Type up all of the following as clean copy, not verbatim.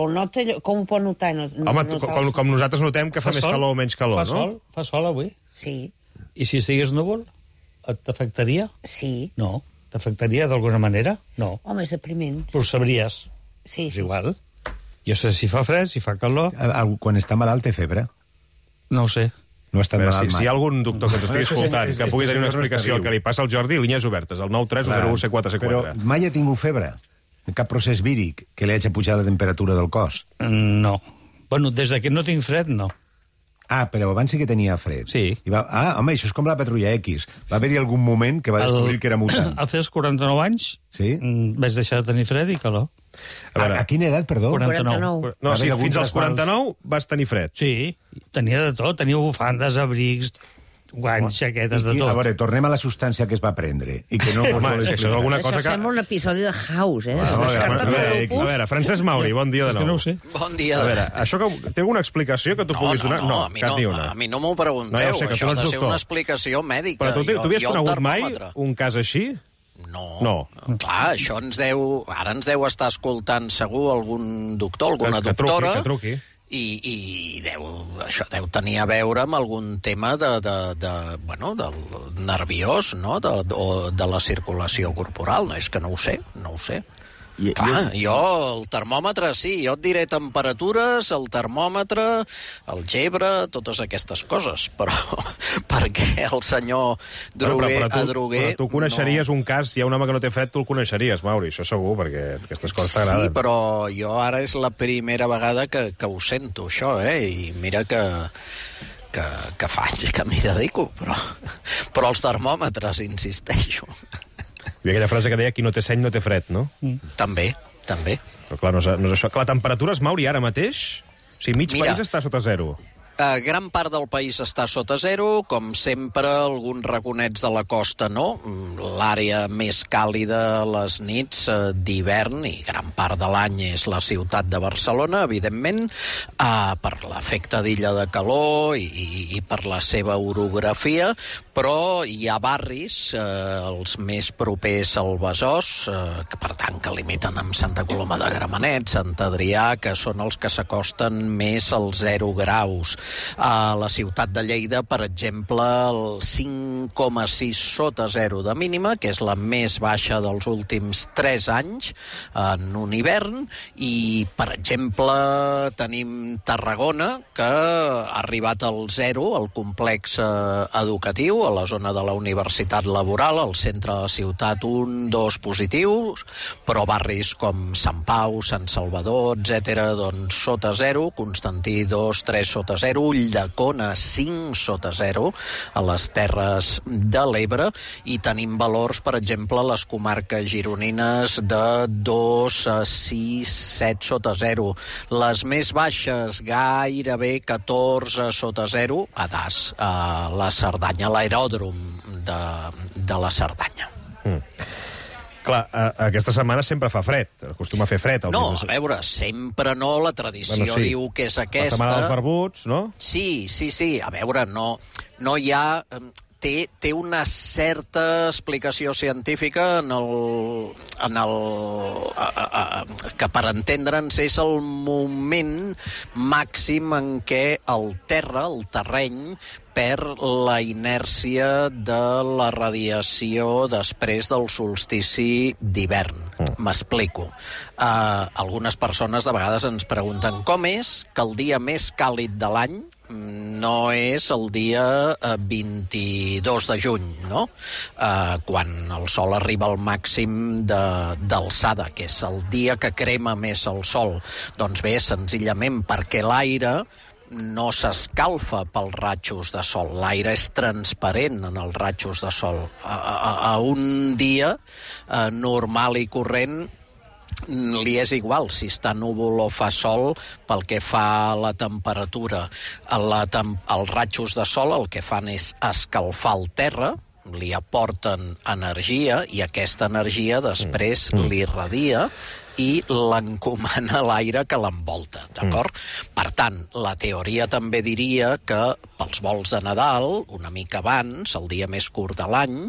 Però nota, com ho pot notar? Home, com nosaltres notem que fa més calor o menys calor, no? Fa sol avui? Sí. I si estigués núvol, t'afectaria? Sí. No. T'afectaria d'alguna manera? No. Home, és depriment. Però ho sabries. Sí, És igual. Jo sé si fa fred, si fa calor... Quan està malalt té febre? No ho sé. No ha estat malalt mai. Si hi ha algun doctor que ens estigui escoltant que pugui tenir una explicació al que li passa al Jordi, línies obertes, el 93101C4C4. Però mai ha tingut febre? Cap procés víric que li hagi pujat la temperatura del cos? No. Bueno, des que no tinc fred, no. Ah, però abans sí que tenia fred. Sí. Home, això és com la Patrulla X. Va haver-hi algun moment que va descobrir que era mutant. Al fer els 49 anys vaig deixar de tenir fred i calor. A quina edat, perdó? 49. No, sí, fins als 49 vas tenir fred. Sí, tenia de tot. Tenia bufandes, abrics, guants, jaquetes, de tot. A veure, tornem a la substància que es va prendre. I que no Home, això és alguna cosa que... Això sembla un episodi de House, eh? A veure, Francesc Mauri, bon dia de nou. És que no ho sé. Bon dia. A veure, això que té alguna explicació que tu puguis donar? No, a mi no m'ho pregunteu. No, ja ho sé, que això tu ets ha de ser doctor. una explicació mèdica. Però tu havies conegut mai un cas així? No. Clar, això ara ens deu estar escoltant segur algun doctor, alguna doctora. Que truqui. I això deu tenir a veure amb algun tema del nerviós, no? O de la circulació corporal. No, és que no ho sé. Clar, jo, el termòmetre, sí, jo et diré temperatures, el termòmetre, el gebre, totes aquestes coses, però perquè el senyor Droguer... Però tu coneixeries un cas, si hi ha un home que no té fred, tu el coneixeries, Mauri, això segur, perquè aquestes coses t'agraden. Sí, però jo ara és la primera vegada que ho sento, això, i mira que fa anys que m'hi dedico, però els termòmetres, insisteixo. I aquella frase que deia qui no té seny no té fred, no? També. Però clar, no és això. La temperatura es, Mauri, ara mateix? O sigui, mig país està sota zero. Gran part del país està sota zero, com sempre, alguns raconets de la costa no. L'àrea més càlida a les nits d'hivern, i gran part de l'any és la ciutat de Barcelona, evidentment, per l'efecte d'illa de calor i per la seva orografia, però hi ha barris, els més propers al Besòs, que per tant que limiten amb Santa Coloma de Gramenet, Sant Adrià, que són els que s'acosten més als 0 graus. A la ciutat de Lleida, per exemple, el 5,6 sota 0 de mínima, que és la més baixa dels últims 3 anys en un hivern, i, per exemple, tenim Tarragona, que ha arribat al 0, al complex educatiu, a la zona de la Universitat Laboral, al centre de la ciutat 1-2 positius, però barris com Sant Pau, Sant Salvador, etc., doncs sota 0, Constantí 2-3 sota 0, Ulldecona 5 sota 0 a les Terres de l'Ebre, i tenim valors, per exemple, a les comarques gironines de 2 a 6, 7 sota 0. Les més baixes, gairebé 14 sota 0, a Das, a la Cerdanya, a l'aeròdrom de la Cerdanya. Clar, aquesta setmana sempre fa fred, acostuma a fer fred. No, a veure, sempre no, la tradició diu que és aquesta. La setmana dels barbuts, no? Sí, a veure, no hi ha... Té una certa explicació científica que, per entendre'ns, és el moment màxim en què el terreny, perd la inèrcia de la radiació després del solstici d'hivern. M'explico. Algunes persones de vegades ens pregunten com és que el dia més càlid de l'any no és el dia 22 de juny, no? Quan el sol arriba al màxim d'alçada, que és el dia que crema més el sol. Doncs bé, senzillament perquè l'aire no s'escalfa pels rajos de sol. L'aire és transparent en els rajos de sol. A un dia normal i corrent li és igual si està núvol o fa sol pel que fa a la temperatura. Els rajos de sol el que fan és escalfar el terra, li aporten energia i aquesta energia després l'irradia i l'encomana a l'aire que l'envolta, d'acord? Per tant, la teoria també diria que pels volts de Nadal, una mica abans, el dia més curt de l'any,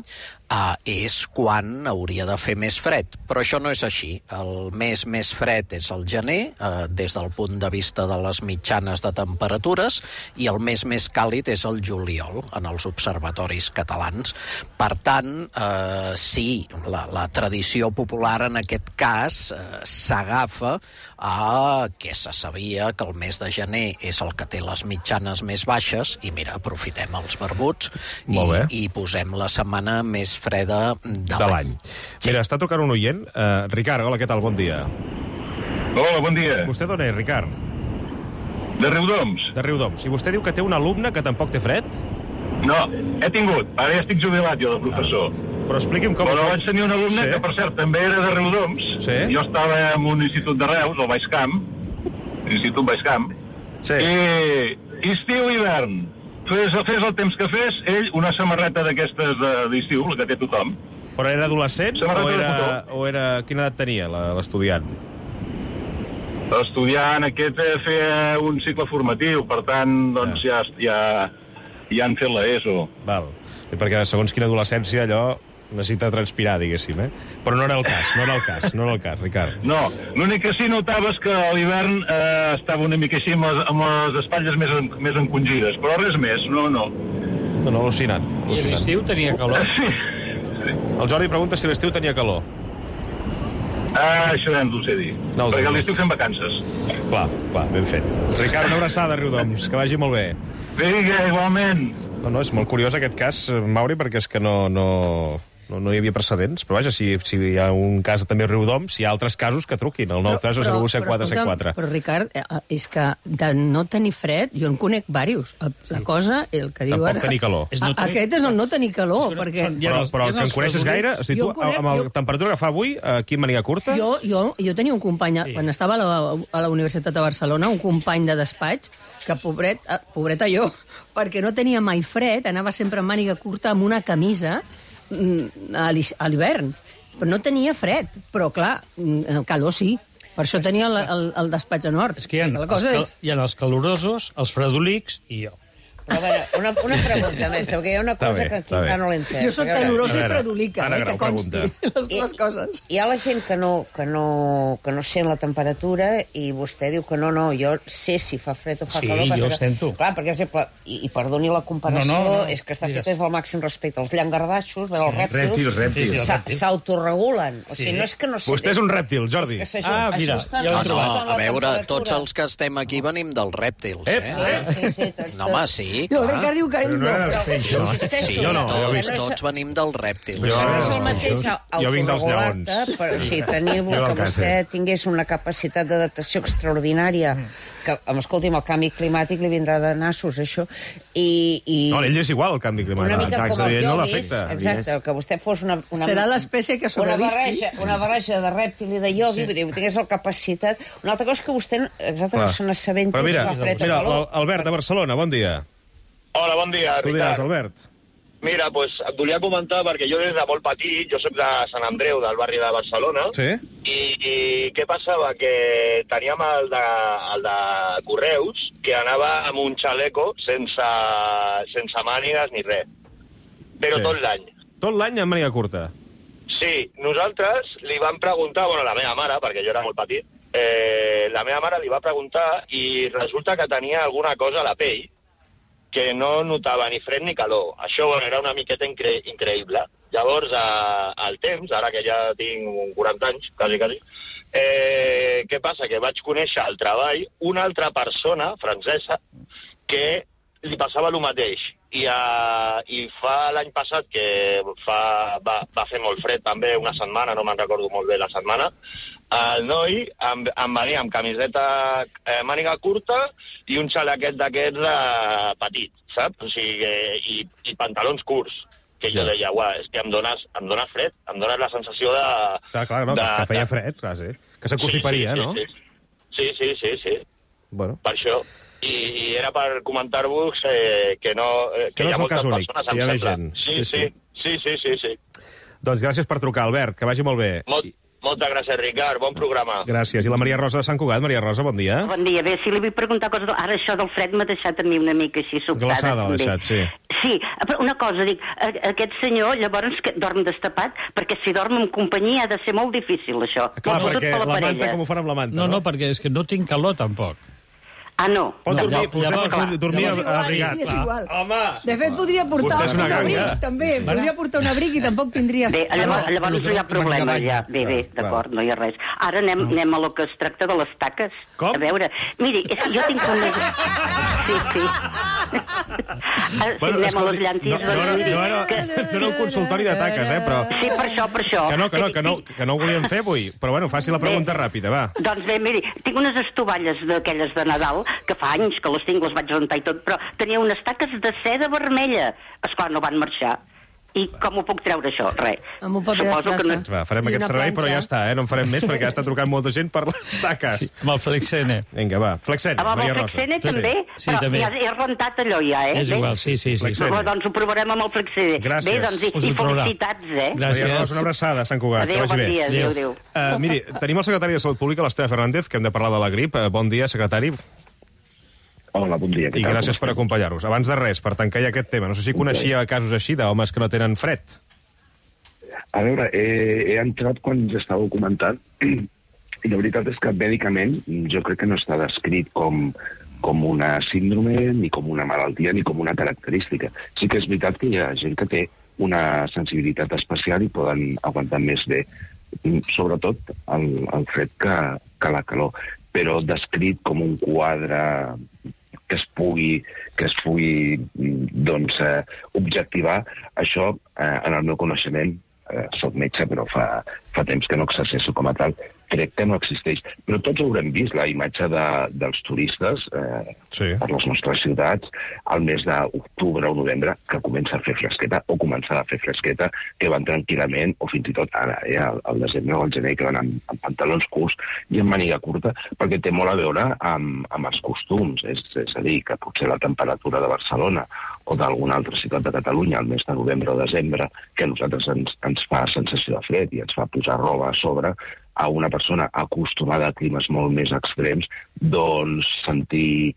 és quan hauria de fer més fred. Però això no és així. El mes més fred és el gener, des del punt de vista de les mitjanes de temperatures, i el mes més càlid és el juliol, en els observatoris catalans. Per tant, sí, la tradició popular en aquest cas s'agafa a que se sabia que el mes de gener és el que té les mitjanes més baixes, i mira, aprofitem els barbuts i posem la setmana més freda de l'any. Mira, està trucant un oient. Ricard, hola, què tal? Bon dia. Hola, bon dia. Vostè d'on és, Ricard? De Riudoms. De Riudoms. I vostè diu que té un alumne que tampoc té fred? No, he tingut. Ara ja estic jubilat, jo, de professor. Però expliqui'm com... Però vaig tenir un alumne que, per cert, també era de Riudoms. Sí. Jo estava en un institut de Reus, al Baix Camp, l'Institut Baix Camp, i estiu i hivern. Fes el temps que fes, ell una samarreta d'aquestes d'estiu, la que té tothom. Però era adolescent o era... Quina edat tenia l'estudiant? L'estudiant aquest feia un cicle formatiu, per tant, doncs ja han fet l'ESO. Val. Perquè segons quina adolescència allò necessita transpirar, diguéssim, Però no era el cas, Ricard. No, l'únic que sí notaves que a l'hivern estava una mica així amb les espatlles més encongides, però res més, no. No, al·lucinant. I a l'estiu tenia calor? Sí. El Jordi pregunta si l'estiu tenia calor. Això ja no ho sé dir, perquè a l'estiu fem vacances. Clar, ben fet. Ricard, una abraçada, Riudoms, que vagi molt bé. Vinga, igualment. No, és molt curiós aquest cas, Mauri, perquè és que no hi havia precedents, però vaja, si hi ha un cas també a Riudoms, hi ha altres casos que truquin, el 9-3-2-1-7-4-7-4. Però, Ricard, és que de no tenir fred, jo en conec diversos. La cosa, el que diu Tampoc ara... tenir calor. Aquest és el no tenir calor, perquè... Però que en coneixes gaire? O sigui, tu, amb la temperatura que fa avui, aquí en màniga curta... Jo tenia un company, quan estava a la Universitat de Barcelona, un company de despatx, que pobreta jo, perquè no tenia mai fred, anava sempre en màniga curta amb una camisa a l'hivern, però no tenia fred, però clar, calor sí, per això tenia el despatx a nord. És que hi ha els calorosos, els fredolics i jo. Però a veure, una pregunta, mestre, perquè hi ha una cosa que aquí encara no l'he entès. Jo soc calorosa i fredolica, que consti les dues coses. Hi ha la gent que no sent la temperatura i vostè diu que no, jo sé si fa fred o fa calor. Sí, jo sento. Clar, perquè, per exemple, i perdoni la comparació, és que està fet des del màxim respecte. Els llangardaixos, els rèptils, s'autoregulen. O sigui, no és que no sé... Vostè és un rèptil, Jordi. Mira, a veure, tots els que estem aquí venim dels rèptils, No, home, sí. Jo, Ricard diu que ell no. Sí, tots venim dels rèptils. És el mateix jo vinc dels lleons. Però si teniu que vostè tingués una capacitat d'adaptació extraordinària, que, escolti'm, el canvi climàtic li vindrà de nassos, això, No, ell és igual, el canvi climàtic. una mica com els no ioguis, l'afecta. exacte, que vostè fos una... Serà l'espècie que sobrevisqui. Una barreja de rèptil i de iogui, vull dir, tingués la capacitat... Una altra cosa que vostè no se n'assabenti si fa fred o calor. Albert, de Barcelona, bon dia. Hola, bon dia, Tu diràs, Albert. Mira, doncs et volia comentar, perquè jo des de molt petit, jo soc de Sant Andreu, del barri de Barcelona, i què passava? Que teníem el de Correus, que anava amb un xaleco sense mànigues ni res. Però tot l'any. Tot l'any amb màniga curta? Sí, nosaltres li vam preguntar, la meva mare, perquè jo era molt petit, la meva mare li va preguntar i resulta que tenia alguna cosa a la pell que no notava ni fred ni calor. Això era una miqueta increïble. Llavors, al temps, ara que ja tinc 40 anys, quasi, què passa? Que vaig conèixer al treball una altra persona francesa que li passava el mateix. I fa l'any passat, que va fer molt fred també, una setmana, no me'n recordo molt bé la setmana, el noi em venia amb camiseta màniga curta i un xalaquet d'aquests petit, saps? O sigui, i pantalons curts. Que jo deia, és que em dones fred, em dones la sensació de... Clar, no, que feia fred, clar, sí. Que s'aconstiparia, no? Sí. Bueno. Per això. I era per comentar-vos que no... Que hi ha moltes persones, em sembla. Sí. Doncs gràcies per trucar, Albert, que vagi molt bé. Moltes gràcies, Ricard. Bon programa. Gràcies. I la Maria Rosa de Sant Cugat. Maria Rosa, bon dia. Bon dia. Bé, si li vull preguntar coses... Ara això del fred m'ha deixat a mi una mica així sobtada. Glaçada l'ha deixat, sí. Sí, però una cosa, dic, aquest senyor llavors que dorm destapat, perquè si dorm en companyia ha de ser molt difícil, això. Clar, Sobretot perquè per la manta, parella. com ho fan amb la manta, No, no, perquè és que no tinc calor, tampoc. Ah, no. Pot No, dormir, llavors, potser dormir És igual, abrigat. és igual. Home! De fet, podria portar Vostè és una un abric, ganga. també. Podria portar un abric i tampoc tindria... Bé, llavors no hi ha problema, ja. Bé, d'acord, no hi ha res. Ara anem a lo que es tracta de les taques. Com? A veure, miri, és que jo tinc una... Sí. Bueno, anem a les llanties... No era un consultori de taques, però... Sí, per això. Que no ho volíem fer avui. Però bueno, faci la pregunta ràpida, va. Doncs bé, miri, tinc unes estovalles d'aquelles de Nadal, que fa anys que les tinc, les vaig rentar i tot, però tenia unes taques de seda vermella. Esclar, no van marxar. I com ho puc treure, això? Res. Amb un paper d'estrassa. Va, farem aquest servei, però ja està, no en farem més, perquè ja està trucant molta gent per les taques. Sí, amb el Flexene. Vinga, va, Flexene, Amb Maria el Rosa. Flexene també? Sí, Però també. ja he rentat allò, ja, És igual, sí. Flexene. Doncs ho provarem amb el Flexene. Gràcies. Bé, doncs, Us i ho provarà. felicitats, Maria Rosa, una abraçada, Sant Cugat. Adéu, bon dia, adéu. Miri, tenim el secretari de Salut Pública, l'Esteve Fernández, que hem de parlar de la grip. Bon dia, secretari. Hola, bon dia. I gràcies per acompanyar-nos. Abans de res, per tancar ja aquest tema, no sé si coneixia casos així d'homes que no tenen fred. A veure, he entrat quan ja estàveu comentant i la veritat és que mèdicament jo crec que no està descrit com una síndrome, ni com una malaltia, ni com una característica. Sí que és veritat que hi ha gent que té una sensibilitat especial i poden aguantar més bé, sobretot el fred que la calor. Però descrit com un quadre que es pugui doncs, objectivar, això, en el meu coneixement, soc metge, però fa temps que no exerceixo com a tal, crec que no existeix. Però tots haurem vist la imatge dels turistes per les nostres ciutats al mes d'octubre o novembre, que comença a fer fresqueta, o començarà a fer fresqueta, que van tranquil·lament, o fins i tot ara, al desembre o al gener, que van amb pantalons curts i amb màniga curta, perquè té molt a veure amb els costums. És a dir, que potser la temperatura de Barcelona o d'alguna altra ciutat de Catalunya al mes de novembre o desembre, que a nosaltres ens fa sensació de fred i ens fa posar roba a sobre, a una persona acostumada a climes molt més extrems, doncs sentir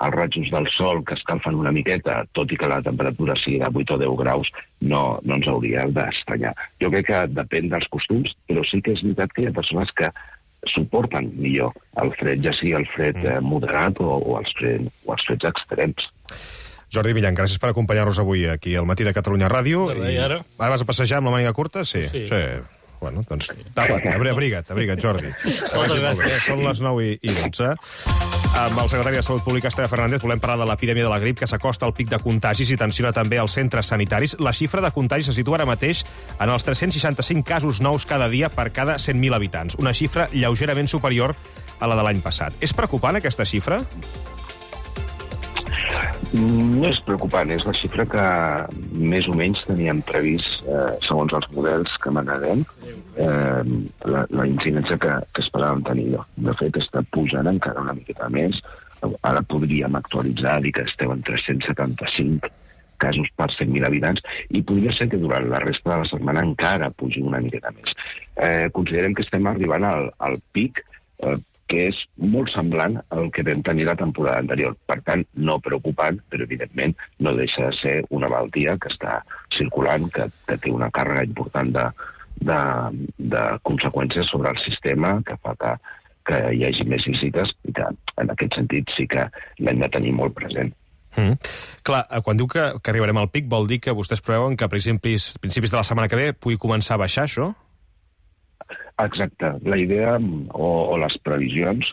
els rajos del sol que escalfen una miqueta, tot i que la temperatura sigui de 8 o 10 graus, no ens hauria d'estranyar. Jo crec que depèn dels costums, però sí que és veritat que hi ha persones que suporten millor el fred, ja sigui el fred moderat o els freds extrems. Jordi Millan, gràcies per acompanyar-nos avui aquí al Matí de Catalunya Ràdio. Ara vas a passejar amb la màniga curta? Sí. Bueno, doncs, abriga't, Jordi. Moltes gràcies. Són les 9:12. Amb el secretari de Salut Pública, Esteve Fernández, volem parlar de l'epidèmia de la grip, que s'acosta al pic de contagis i tensiona també els centres sanitaris. La xifra de contagis se situa ara mateix en els 365 casos nous cada dia per cada 100.000 habitants, una xifra lleugerament superior a la de l'any passat. És preocupant, aquesta xifra? No és preocupant, és la xifra que més o menys teníem previst, segons els models que maneguem, la incidència que esperàvem tenir. De fet, està pujant encara una miqueta més. Ara podríem actualitzar, dir que esteu en 375 casos per 100.000 habitants, i podria ser que durant la resta de la setmana encara pugi una miqueta més. Considerem que estem arribant al pic, que és molt semblant al que vam tenir la temporada anterior. Per tant, no preocupant, però evidentment no deixa de ser una malaltia que està circulant, que té una càrrega important de conseqüències sobre el sistema, que fa que hi hagi més visites, i que en aquest sentit sí que l'hem de tenir molt present. Clar, quan diu que arribarem al pic, vol dir que vostès preveuen que a principis de la setmana que ve pugui començar a baixar, això? Exacte. La idea o les previsions,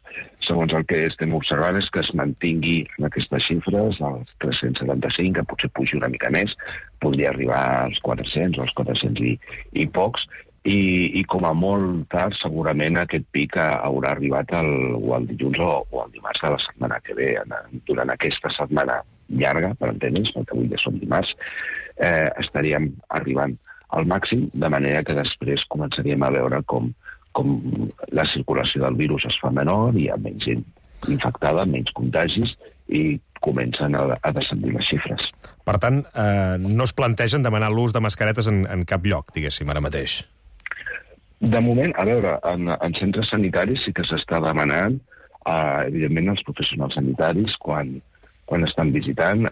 segons el que estem observant, és que es mantingui en aquestes xifres, els 375, que potser pugi una mica més, podria arribar als 400 o als 400 i pocs, i com a molt tard segurament aquest pic haurà arribat o el dilluns o el dimarts de la setmana que ve. Durant aquesta setmana llarga, per entendre'ns, perquè avui ja som dimarts, estaríem arribant al màxim, de manera que després començaríem a veure com la circulació del virus es fa menor, hi ha menys gent infectada, menys contagis, i comencen a descendir les xifres. Per tant, no es plantegen demanar l'ús de mascaretes en cap lloc, diguéssim, ara mateix? De moment, a veure, en centres sanitaris sí que s'està demanant, evidentment, als professionals sanitaris quan estan visitant,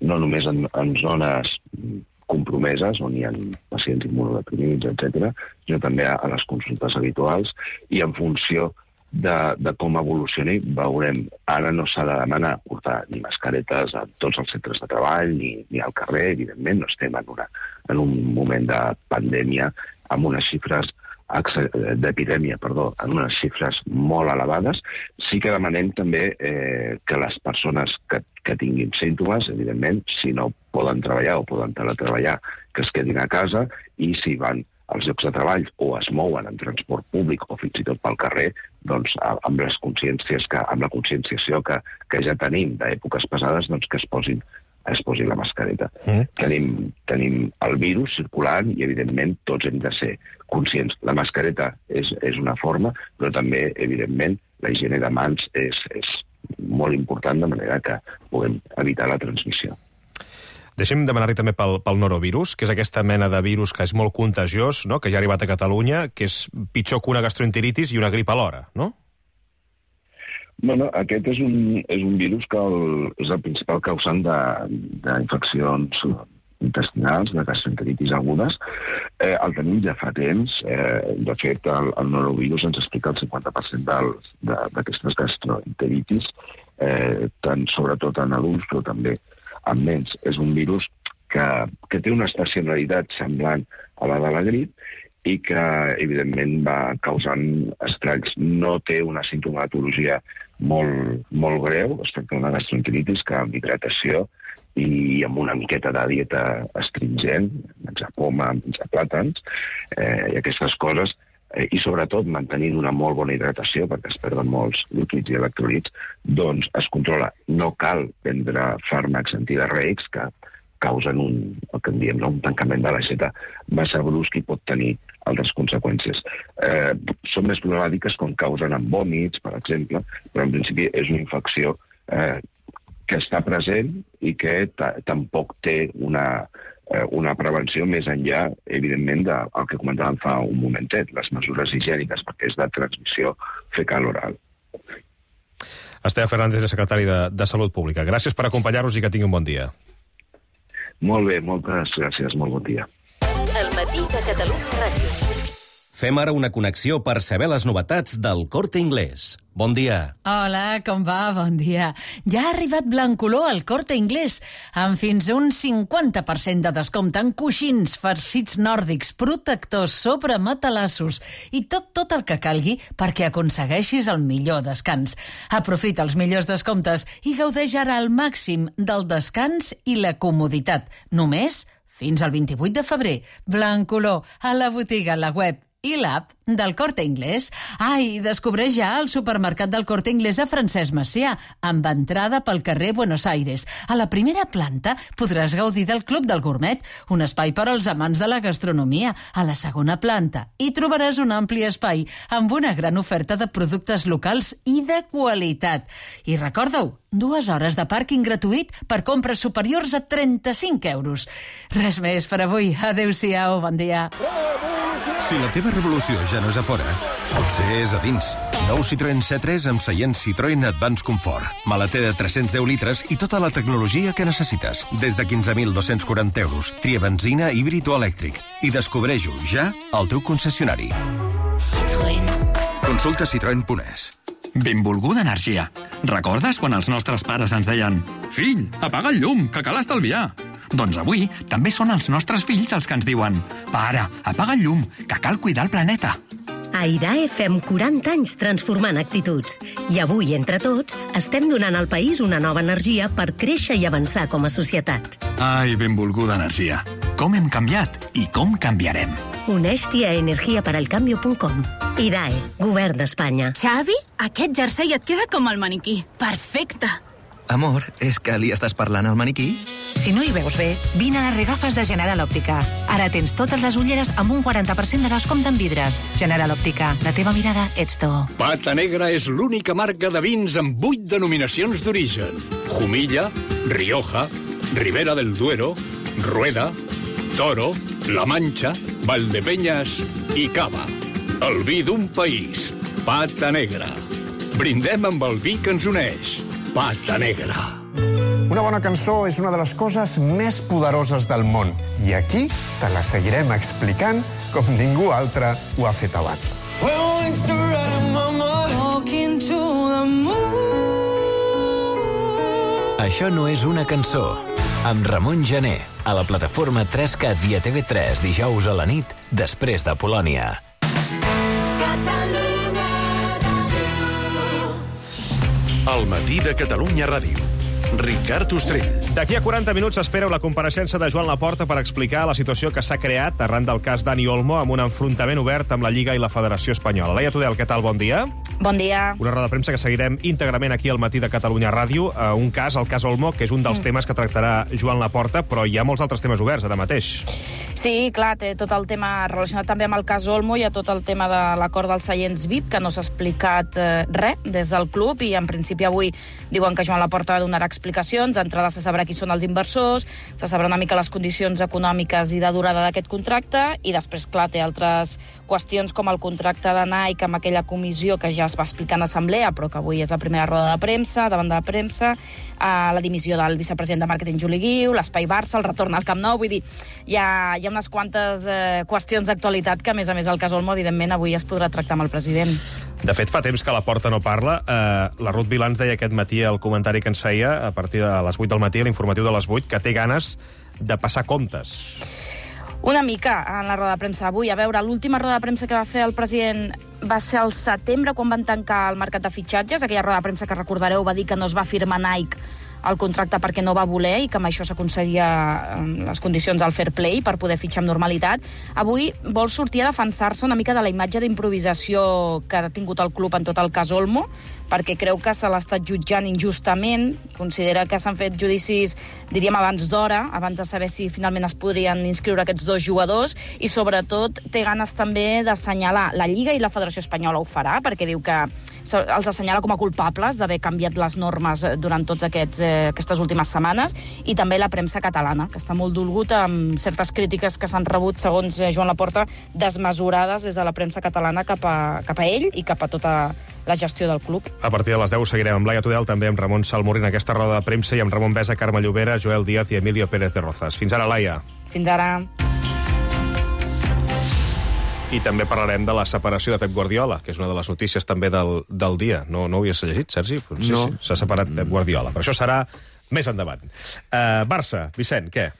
no només en zones compromeses, on hi ha pacients immunodeprimits, etc., sinó també a les consultes habituals, i en funció de com evolucioni veurem. Ara no s'ha de demanar portar ni mascaretes a tots els centres de treball ni al carrer, evidentment, no estem en un moment de pandèmia amb unes xifres d'epidèmia, en unes xifres molt elevades. Sí que demanem també que les persones que tinguin símptomes, evidentment, si no poden treballar o poden teletreballar, que es quedin a casa, i si van als llocs de treball o es mouen en transport públic o fins i tot pel carrer, doncs amb la conscienciació que ja tenim d'èpoques passades, doncs que es posi la mascareta. Tenim el virus circulant i, evidentment, tots hem de ser conscients. La mascareta és una forma, però també, evidentment, la higiene de mans és molt important, de manera que puguem evitar la transmissió. Deixem demanar-li també pel norovirus, que és aquesta mena de virus que és molt contagiós, no? Que ja ha arribat a Catalunya, que és pitjor que una gastroenteritis i una grip alhora, no? Bueno, aquest és un virus que és el principal causant d'infeccions intestinals, de gastroenteritis agudes. El tenim ja fa temps. De fet, el norovirus ens explica el 50% d'aquestes gastroenteritis, sobretot en adults, però també en nens. És un virus que té una estacionalitat semblant a la de la grip i que, evidentment, va causant estralls. No té una simptomatologia molt greu, es tracta d'una gastroenteritis que amb hidratació i amb una miqueta de dieta astringent, menjar poma, menjar plàtans, i aquestes coses, i sobretot mantenint una molt bona hidratació, perquè es perden molts líquids i electrolits, doncs es controla. No cal prendre fàrmacs antidiarreics que causen el que en diem un tancament de l'aixeta massa brusc i pot tenir altres conseqüències. Són més problemàtiques quan causen en vòmits, per exemple, però en principi és una infecció que està present i que tampoc té una prevenció més enllà, evidentment, del que comentàvem fa un momentet, les mesures higièniques, perquè és de transmissió fecal-oral. Esteve Fernández, secretari de Salut Pública. Gràcies per acompanyar-nos i que tingui un bon dia. Molt bé, moltes gràcies, molt bon dia. El matí de Catalunya Ràdio. Fem ara una connexió per saber les novetats del Corte Inglés. Bon dia. Hola, com va? Bon dia. Ja ha arribat Blancolor al Corte Inglés, amb fins a un 50% de descompte en coixins, farcits nòrdics, protectors, sobre matalassos i tot el que calgui perquè aconsegueixis el millor descans. Aprofita els millors descomptes i gaudeix ara al màxim del descans i la comoditat. Només fins al 28 de febrer. Blancolor, a la botiga, a la web i l'app del Corte Inglés. I descobreix ja el supermercat del Corte Inglés a Francesc Macià, amb entrada pel carrer Buenos Aires. A la primera planta podràs gaudir del Club del Gourmet, un espai per als amants de la gastronomia. A la segona planta hi trobaràs un ampli espai amb una gran oferta de productes locals i de qualitat. I recorda-ho, 2 hores de pàrquing gratuït per compres superiors a 35 euros. Res més per avui. Adéu-siau, bon dia. Si la teva revolució ja no és a fora, potser és a dins. Nou Citroën C3 amb seient Citroën Advance Comfort. Maleter de 310 litres i tota la tecnologia que necessites. Des de 15.240 euros. Tria benzina, híbrid o elèctric. I descobreix-ho ja al teu concessionari. Citroën. Consulta citroen.es. Benvolguda energia. Recordes quan els nostres pares ens deien «Fill, apaga el llum, que cal estalviar»? Doncs avui també són els nostres fills els que ens diuen «Pare, apaga el llum, que cal cuidar el planeta». A IDAE fem 40 anys transformant actituds. I avui, entre tots, estem donant al país una nova energia per créixer i avançar com a societat. Ai, benvolguda energia. Com hem canviat i com canviarem. Uneix-t'hi a energiaperalcambio.com. IDAE, Govern d'Espanya. Xavi, aquest jersei et queda com el maniquí. Perfecte. Amor, és que li estàs parlant al maniquí? Si no hi veus bé, vine a les regafes de General Òptica. Ara tens totes les ulleres amb un 40% de descompte en vidres. General Òptica, la teva mirada ets tu. Pata Negra és l'única marca de vins amb 8 denominacions d'origen. Jumilla, Rioja, Ribera del Duero, Rueda, Toro, La Mancha, Valdepeñas i Cava. El vi d'un país. Pata Negra. Brindem amb el vi que ens uneix. Pata Negra. Una bona cançó és una de les coses més poderoses del món. I aquí te la seguirem explicant com ningú altre ho ha fet abans. Això no és una cançó. Amb Ramon Gené, a la plataforma 3CAT i a TV3 dijous a la nit, després de Polònia. El matí de Catalunya Ràdio. Ricard Ostrell. D'aquí a 40 minuts s'espera la compareixença de Joan Laporta per explicar la situació que s'ha creat arran del cas Dani Olmo amb un enfrontament obert amb la Lliga i la Federació Espanyola. Laia Tudel, què tal? Bon dia. Bon dia. Una roda de premsa que seguirem íntegrament aquí al matí de Catalunya Ràdio. Un cas, el cas Olmo, que és un dels temes que tractarà Joan Laporta, però hi ha molts altres temes oberts ara mateix. Sí, clar, té tot el tema relacionat també amb el cas Olmo, hi ha tot el tema de l'acord dels seients VIP, que no s'ha explicat res des del club, i en principi avui diuen que Joan Laporta donarà explicacions. D'entrada se sabrà qui són els inversors, se sabrà una mica les condicions econòmiques i de durada d'aquest contracte, i després, clar, té altres qüestions com el contracte de Nike amb aquella comissió que ja es va explicar en assemblea, però que avui és la primera roda de premsa, davant de la premsa, la dimissió del vicepresident de màrqueting Juli Guiu, l'Espai Barça, el retorn al Camp Nou, vull dir, hi ha unes quantes qüestions d'actualitat que, a més, el cas Olmo, evidentment, avui es podrà tractar amb el president. De fet, fa temps que Laporta no parla. La Ruth Vilans deia aquest matí el comentari que ens feia a partir de les 8 del matí, l'informatiu de les 8, que té ganes de passar comptes. Una mica en la roda de premsa avui. A veure, l'última roda de premsa que va fer el president va ser al setembre, quan van tancar el mercat de fitxatges. Aquella roda de premsa que recordareu va dir que no es va firmar Nike el contracte perquè no va voler i que amb això s'aconseguia les condicions del fair play per poder fitxar amb normalitat. Avui vol sortir a defensar-se una mica de la imatge d'improvisació que ha tingut el club en tot el cas Olmo, perquè creu que se l'ha estat jutjant injustament, considera que s'han fet judicis, diríem, abans d'hora, abans de saber si finalment es podrien inscriure aquests dos jugadors, i sobretot té ganes també d'assenyalar la Lliga, i la Federació Espanyola ho farà, perquè diu que els assenyala com a culpables d'haver canviat les normes durant tots aquestes últimes setmanes, i també la premsa catalana, que està molt dolgut amb certes crítiques que s'han rebut, segons Joan Laporta, desmesurades des de la premsa catalana cap a ell i cap a tota la gestió del club. A partir de les 10 seguirem amb Laia Tudel, també amb Ramon Salmorri en aquesta roda de premsa, i amb Ramon Besa, Carme Llobera, Joel Díaz i Emilio Pérez de Rozas. Fins ara, Laia. Fins ara. I també parlarem de la separació de Pep Guardiola, que és una de les notícies també del dia. No ho havies llegit, Sergi? Sí, no. Sí, s'ha separat Pep Guardiola. Però això serà més endavant. Barça, Vicent, què?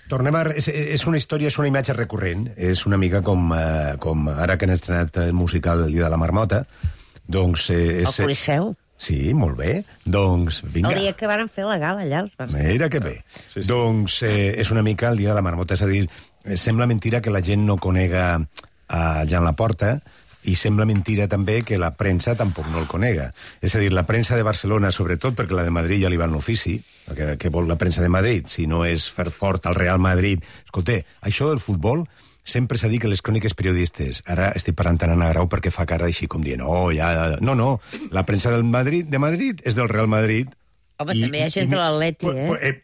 Tornem a... És una història, és una imatge recurrent. És una mica com ara que han estrenat el musical El dia de la marmota. Doncs... El Coliseu. Sí, molt bé. Doncs, vinga. El dia que van fer la gala allà. Mira que bé. Sí. Doncs és una mica el dia de la marmota. És a dir, sembla mentira que la gent no conega a Joan Laporta, i sembla mentira també que la premsa tampoc no el conega. És a dir, la premsa de Barcelona, sobretot, perquè la de Madrid ja li va en l'ofici, que vol la premsa de Madrid, si no és fer fort al Real Madrid. Escolta, això del futbol sempre s'ha dit que les cròniques periodistes, ara estic parlant tant Anna Grau perquè fa cara així com dient, no, la premsa de Madrid és del Real Madrid. Home, també hi ha gent de l'Atleti,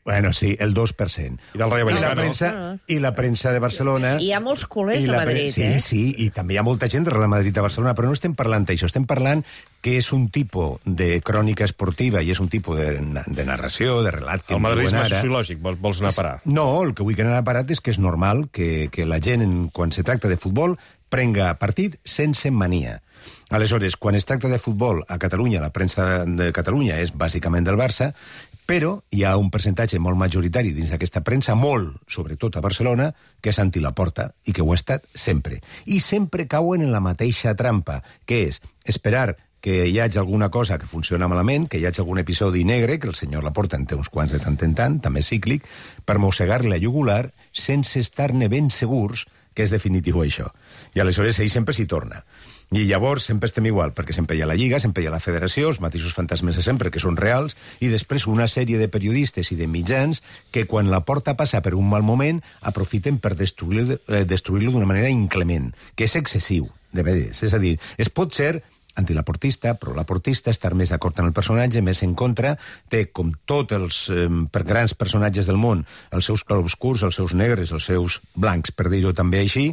Bueno, sí, el 2%. I del Rayo Vallecano. I la premsa de Barcelona... I hi ha molts culers a Madrid, Sí, i també hi ha molta gent de Real Madrid a Barcelona, però no estem parlant d'això, estem parlant que és un tipus de crònica esportiva i és un tipus de narració, de relat... El madridisme sociològic, vols anar a parar? No, el que vull que anar a parar és que és normal que la gent, quan se tracta de futbol, prenga partit sense mania. Aleshores, quan es tracta de futbol a Catalunya, la premsa de Catalunya és bàsicament del Barça, però hi ha un percentatge molt majoritari dins d'aquesta premsa, molt, sobretot a Barcelona, que és anti-Laporta i que ho ha estat sempre. I sempre cauen en la mateixa trampa, que és esperar que hi hagi alguna cosa que funciona malament, que hi hagi algun episodi negre, que el senyor Laporta en té uns quants de tant en tant, també cíclic, per mossegar-li la jugular sense estar-ne ben segurs que és definitiu això. I aleshores ell sempre s'hi torna. I llavors sempre estem igual, perquè sempre hi ha la Lliga, sempre hi ha la Federació, els mateixos fantasmes de sempre, que són reals, i després una sèrie de periodistes i de mitjans que quan Laporta passa per un mal moment aprofiten per destruir-lo d'una manera inclement, que és excessiu, de veres. És a dir, es pot ser antilaportista, però laportista, estar més d'acord amb el personatge, més en contra, té, com tots els grans personatges del món, els seus clarobscurs, els seus negres, els seus blancs, per dir-ho també així,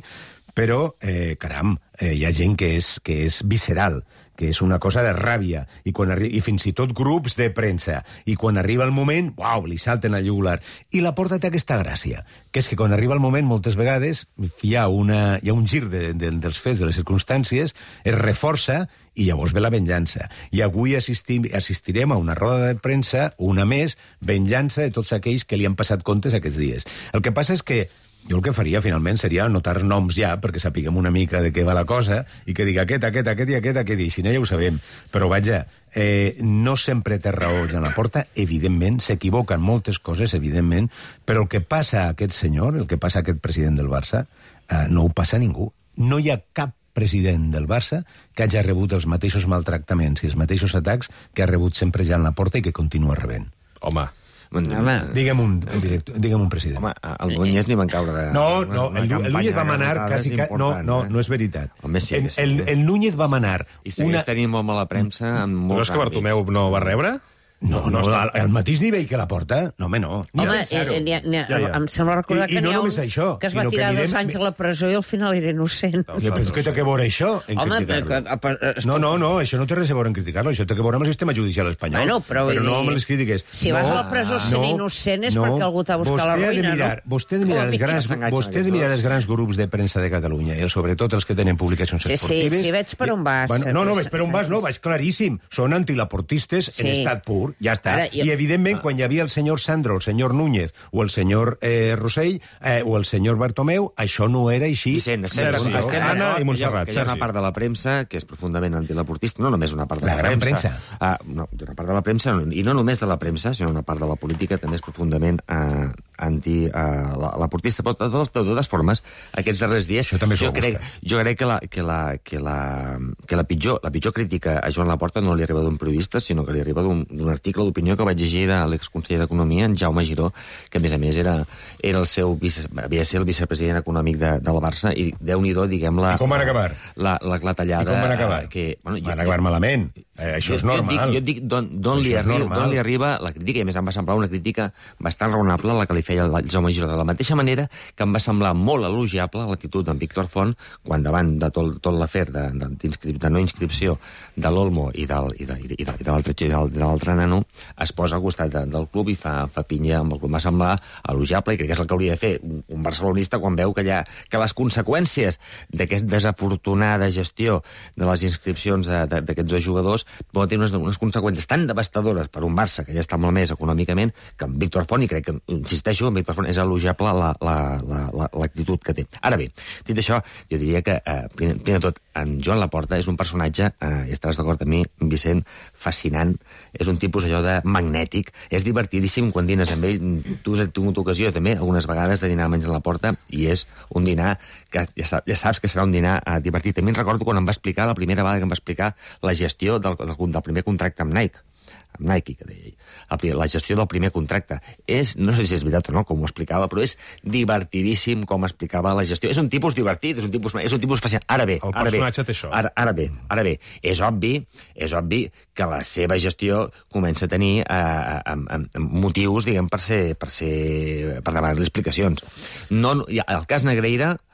Però, caram, hi ha gent que és visceral, que és una cosa de ràbia, i fins i tot grups de premsa. I quan arriba el moment, uau, li salten al jugular. I Laporta té aquesta gràcia, que és que quan arriba el moment, moltes vegades, hi ha un gir dels fets, de les circumstàncies, es reforça i llavors ve la venjança. I avui assistirem a una roda de premsa, una més, venjança de tots aquells que li han passat comptes aquests dies. El que passa és que jo el que faria, finalment, seria anotar noms ja, perquè sapiguem una mica de què va la cosa, i que digui aquest, i si no ja ho sabem. Però, vaja, no sempre té raó Joan Laporta, evidentment, s'equivoquen moltes coses, evidentment, però el que passa a aquest senyor, el que passa a aquest president del Barça, no ho passa a ningú. No hi ha cap president del Barça que hagi rebut els mateixos maltractaments i els mateixos atacs que ha rebut sempre Joan Laporta i que continua rebent. Home, digue'm un president. Home, el Núñez ni van caure de... No, el Núñez va manar quasi... No és veritat. El Núñez va manar... I segueix tenint molt mala premsa amb molts àmbits. No és que Bartomeu no va rebre? No, al mateix nivell que Laporta. No, home, no. Home, em sembla recordar que n'hi ha un que es va tirar 2 anys a la presó i al final era innocent. Però què té que veure això, en criticar-lo? No, això no té res a veure en criticar-lo, això té que veure amb el sistema judicial espanyol. Però no amb les crítiques. Si vas a la presó sent innocent és perquè algú t'ha buscat la ruïna, no? Vostè ha de mirar els grans grups de premsa de Catalunya, i sobretot els que tenen publicacions esportives. Sí, veig per on vas. No, veig per on vas, no, vaig claríssim. Són antilaportistes en estat pur. Ja està. I, evidentment, quan hi havia el senyor Sandro, el senyor Núñez, o el senyor Rossell, o el senyor Bartomeu, això no era així. Vicent, estem Anna i Montserrat. Hi ha una part de la premsa que és profundament antilaportista, no només una part de la premsa. No, una part de la premsa, i no només de la premsa, sinó una part de la política també és profundament antilaportista. Però de totes formes, aquests darrers dies, jo crec que la pitjor crítica a Joan Laporta no li arriba d'un periodista, sinó que li arriba d'un article d'opinió que vaig llegir de l'exconseller d'Economia, en Jaume Giró, que a més era havia de ser el vicepresident econòmic del Barça, i Déu-n'hi-do, diguem, I com van acabar? La clatellada... I com van acabar? Van acabar malament. Això és normal. Jo et dic d'on li arriba la crítica, i a més em va semblar una crítica bastant raonable la que li feia el Jaume Giró. De la mateixa manera que em va semblar molt elogiable l'actitud d'en Víctor Font quan davant de tot l'afer de no inscripció de l'Olmo i de l'altre nano es posa al costat del club i fa pinya amb el club. Em va semblar elogiable, i crec que és el que hauria de fer un barcelonista quan veu que les conseqüències d'aquesta desafortunada gestió de les inscripcions d'aquests 2 jugadors poden tenir unes conseqüències tan devastadores per un Barça que ja està molt més econòmicament, que en Víctor Font, i crec que, insisteixo, en Víctor Font és elogiable l'actitud que té. Ara bé, dit això, jo diria que, primer de tot, en Joan Laporta és un personatge, i estaràs d'acord amb mi, Vicent, fascinant, és un tipus allò de magnètic, és divertidíssim quan dines amb ell. Tu has tingut ocasió també algunes vegades de dinar amb Joan Laporta, i és un dinar que ja saps que serà un dinar divertit. També recordo quan em va explicar, la primera vegada que em va explicar la gestió del primer contracte amb Nike, que deia ell. La gestió del primer contracte. No sé si és veritat o no, com ho explicava, però és divertidíssim com explicava la gestió. És un tipus divertit, és un tipus fascinant. Ara bé, el personatge té això. Ara bé, és obvi que la seva gestió comença a tenir motius, diguem, per demanar-li explicacions.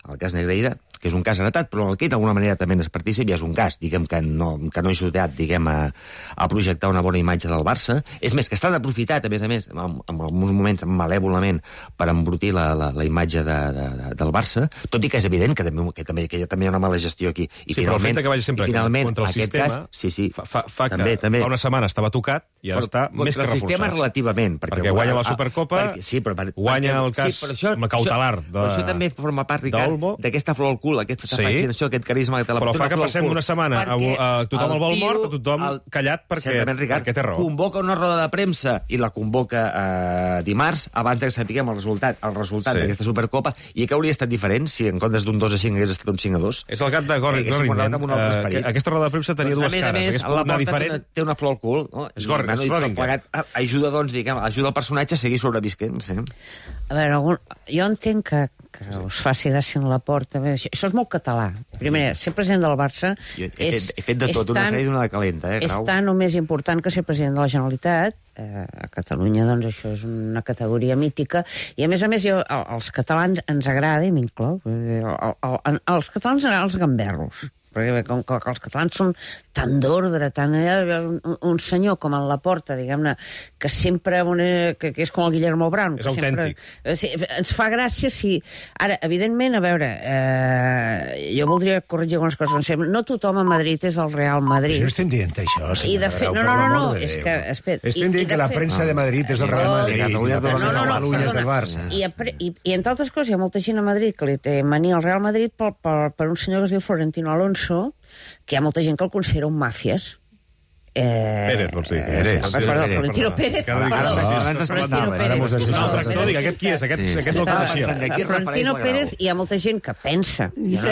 El cas Negreira, que és un cas heretat, però el que d'alguna manera també és partícip, i és un cas, diguem, que no ha ajudat, diguem, a projectar una bona imatge del Barça. És més, que està aprofitat, a més, en alguns moments, malèvolament, per embrutir la imatge del Barça, tot i que és evident que també hi ha una mala gestió aquí. Però el fet que vagi sempre contra el sistema fa que fa una setmana estava tocat i ara està més que reforçat. Contra el sistema relativament. Perquè guanya la Supercopa, guanya el cas cautelar de... Però això també forma part, Ricard, d'aquesta flor al cul, aquesta fascinació, aquest carisma que té la però fa que passem una setmana a tothom el vol mort, a tothom callat perquè té raó. Convoca una roda de premsa i la convoca dimarts abans que sapiguem el resultat d'aquesta Supercopa, i que hauria estat diferent si en comptes d'un 2-5 hagués estat un 5-2. És el gat de Gorringham. Aquesta roda de premsa tenia dues cares. A més, la porta té una flor al cul. És Gorringham. Ajuda el personatge a seguir sobrevisquent. A veure, jo entenc que us faci gràcia en Laporta. Això és molt català. Primer, ser president del Barça he fet de tot, una crèdit i una de calenta, és tan o més important que ser president de la Generalitat. A Catalunya, doncs, això és una categoria mítica. I, a més, els catalans ens agrada, i m'inclou, els catalans ens agraden els gamberros. Perquè com que els catalans són tan d'ordre, tan... Un senyor com en Laporta, diguem-ne, que sempre... que és com el Guillermo Brown. És autèntic. Ens fa gràcia si... Ara, evidentment, a veure, jo voldria corregir algunes coses. No tothom a Madrid és el Real Madrid. No estem dient això, senyora Grau. No, és que... Estem dient que la premsa de Madrid és el Real Madrid. Catalunya és del Barça. I, entre altres coses, hi ha molta gent a Madrid que li té mania al Real Madrid per un senyor que es diu Florentino Alonso, que hi ha molta gent que el considera un màfies. Pérez, vols dir. Perdó, Florentino Pérez. Aquest qui és? Aquest no el coneixia. Florentino Pérez, hi ha molta gent que pensa que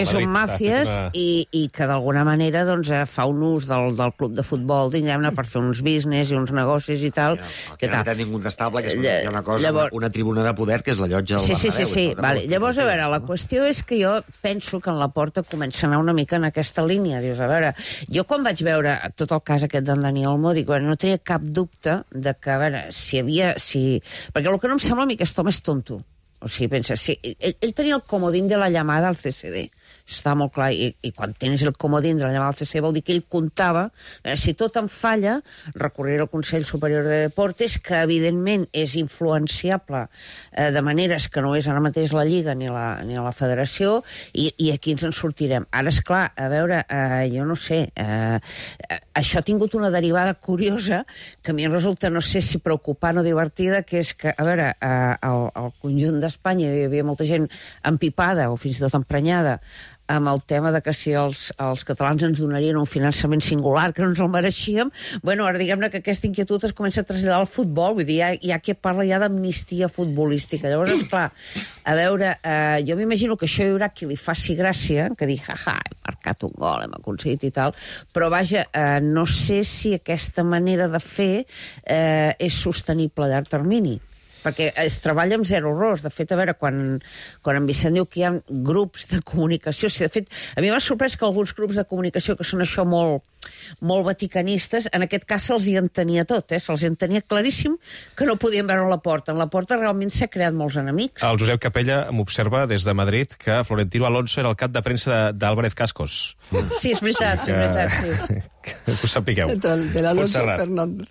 són màfies i que d'alguna manera fa un ús del club de futbol, diguem-ne, per fer uns business i uns negocis i tal. Que no té ningú d'estable, que hi ha una cosa, una tribuna de poder, que és la llotja del Bernabéu. Sí. Llavors, a veure, la qüestió és que jo penso que en Laporta comença a anar una mica en aquesta línia. Dius, a veure, jo quan vaig veure tot el cas aquest d'en Dani Olmo, dic, bueno, no tenia cap dubte de que, a veure, perquè el que no em sembla a mi que aquest home és tonto. O sigui, pensa, ell tenia el comodín de la llamada al CCD. Això està molt clar, i quan tens el comodín de la llamada al CCD vol dir que ell comptava, si tot em falla, recorrer al Consell Superior de Deportes, que evidentment és influenciable de maneres que no és ara mateix la Lliga ni la Federació, i aquí ens en sortirem. Ara, esclar, a veure, jo no sé, això ha tingut una derivada curiosa, que a mi em resulta, no sé si preocupant o divertida, que és que, a veure, al conjunt d'Espanya hi havia molta gent empipada o fins i tot emprenyada amb el tema de que si els catalans ens donarien un finançament singular que no ens el mereixíem, bueno, ara diguem-ne que aquesta inquietud es comença a traslladar al futbol, vull dir, hi ha qui parla ja d'amnistia futbolística. Llavors, esclar, a veure, jo m'imagino que això hi haurà qui li faci gràcia, que digui, hem marcat un gol, hem aconseguit i tal, però vaja, no sé si aquesta manera de fer és sostenible a llarg termini, perquè es treballa amb zero errors. De fet, a veure, quan en Vicent diu que hi ha grups de comunicació, de fet, a mi m'ha sorprès que alguns grups de comunicació que són això molt vaticanistes, en aquest cas se'ls hi entenia tot, se'ls hi entenia claríssim que no podien veure la porta. En la porta realment s'ha creat molts enemics. El Josep Capella m'observa des de Madrid que Florentino Alonso era el cap de premsa d'Álvarez Cascos. Sí, és veritat, sí. Que ho sapigueu. De l'Alonso Fernández.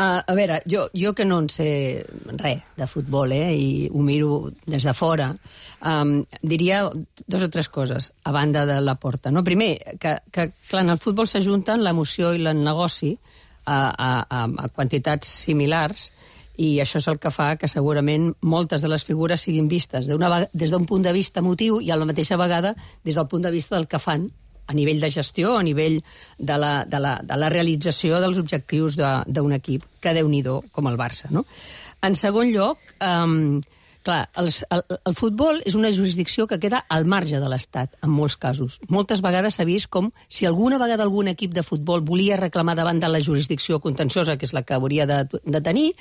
A veure, jo que no en sé res de futbol, i ho miro des de fora, diria dos o tres coses a banda de la porta. No? Primer, que clar, en el futbol s'ajunten l'emoció i el negoci a quantitats similars, i això és el que fa que segurament moltes de les figures siguin vistes des d'un punt de vista emotiu i a la mateixa vegada des del punt de vista del que fan a nivell de gestió, a nivell de la realització dels objectius d'un equip, que Déu-n'hi-do, com el Barça. No? En segon lloc, clar, el futbol és una jurisdicció que queda al marge de l'Estat, en molts casos. Moltes vegades s'ha vist com si alguna vegada algun equip de futbol volia reclamar davant de la jurisdicció contenciosa, que és la que hauria de tenir,